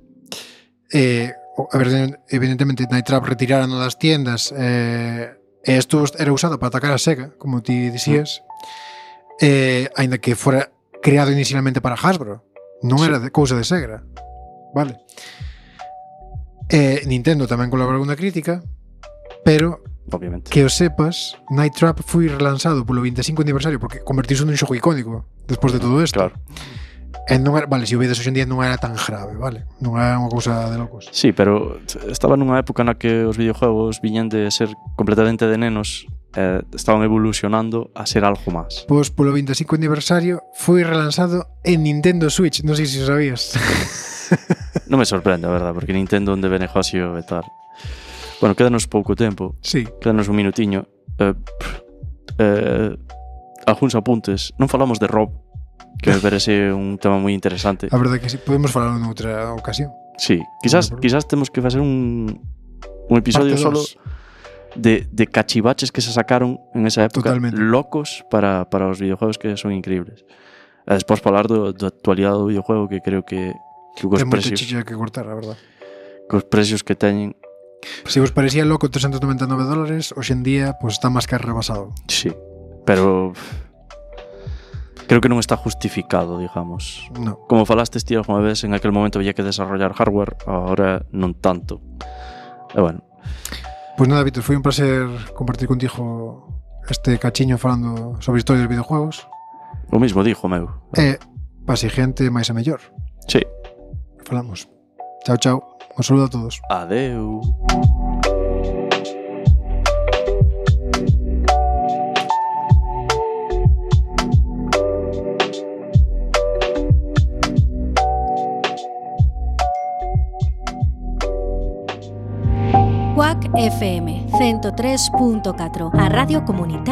Speaker 3: eh, a ver, evidentemente Night Trap retiraron das tiendas, eh, e isto era usado para atacar a Sega, como ti dixías, mm. eh, aínda que fora creado inicialmente para Hasbro, non sí. era de cousa de Sega, vale? Eh, Nintendo tamén colaborou na crítica, pero
Speaker 2: obviamente
Speaker 3: que o sepas, Night Trap foi relanzado polo vinte e cinco aniversario porque convertiuse nun xogo icónico despois de todo isto.
Speaker 2: Claro.
Speaker 3: E non era, vale, se o vedes hoxe en día non era tan grave, vale? Non era unha cousa de locos.
Speaker 2: Sí, pero estaba nunha época na que os videojuegos viñan de ser completamente de nenos, eh, estaban evolucionando a ser algo máis.
Speaker 3: Pois polo vinte e cinco aniversario foi relanzado en Nintendo Switch, non sei se o sabías.
Speaker 2: Non me sorprende, a verdad, porque Nintendo onde ve negocio e tal. Bueno, quédanos pouco tempo.
Speaker 3: Sí.
Speaker 2: Quédanos un minutiño. Eh, eh, algúns apuntes. Non falamos de Rob, que me parece un tema moi interesante.
Speaker 3: A verdade que sí, podemos falar noutra ocasión.
Speaker 2: Sí, quizás, no quizás temos que facer un, un episodio solo de, de cachivaches que se sacaron en esa época.
Speaker 3: Totalmente.
Speaker 2: Locos para, para os videojuegos que son increíbles. E despois falar do, da actualidade do videojuego, que creo que, que os
Speaker 3: ten
Speaker 2: precios...
Speaker 3: Ten moita chicha que cortar, a verdade.
Speaker 2: Que os precios que teñen...
Speaker 3: Se vos parecía loco trescentos noventa e nove dólares, hoxe en día pues, está máis que rebasado.
Speaker 2: Sí, pero... creo que non está justificado, digamos.
Speaker 3: No.
Speaker 2: Como falaste ti alguna vez, en aquel momento había que desarrollar hardware, ahora non tanto. E bueno.
Speaker 3: Pois pues nada, Víctor, foi un placer compartir contigo este cachiño falando sobre historias de videojuegos.
Speaker 2: O mismo dijo, meu.
Speaker 3: E para xente máis e mellor.
Speaker 2: Sí.
Speaker 3: Falamos. Chao, chao. Un saludo a todos.
Speaker 2: Adeu.
Speaker 4: Quack F M ciento tres punto catro, a radio comunitaria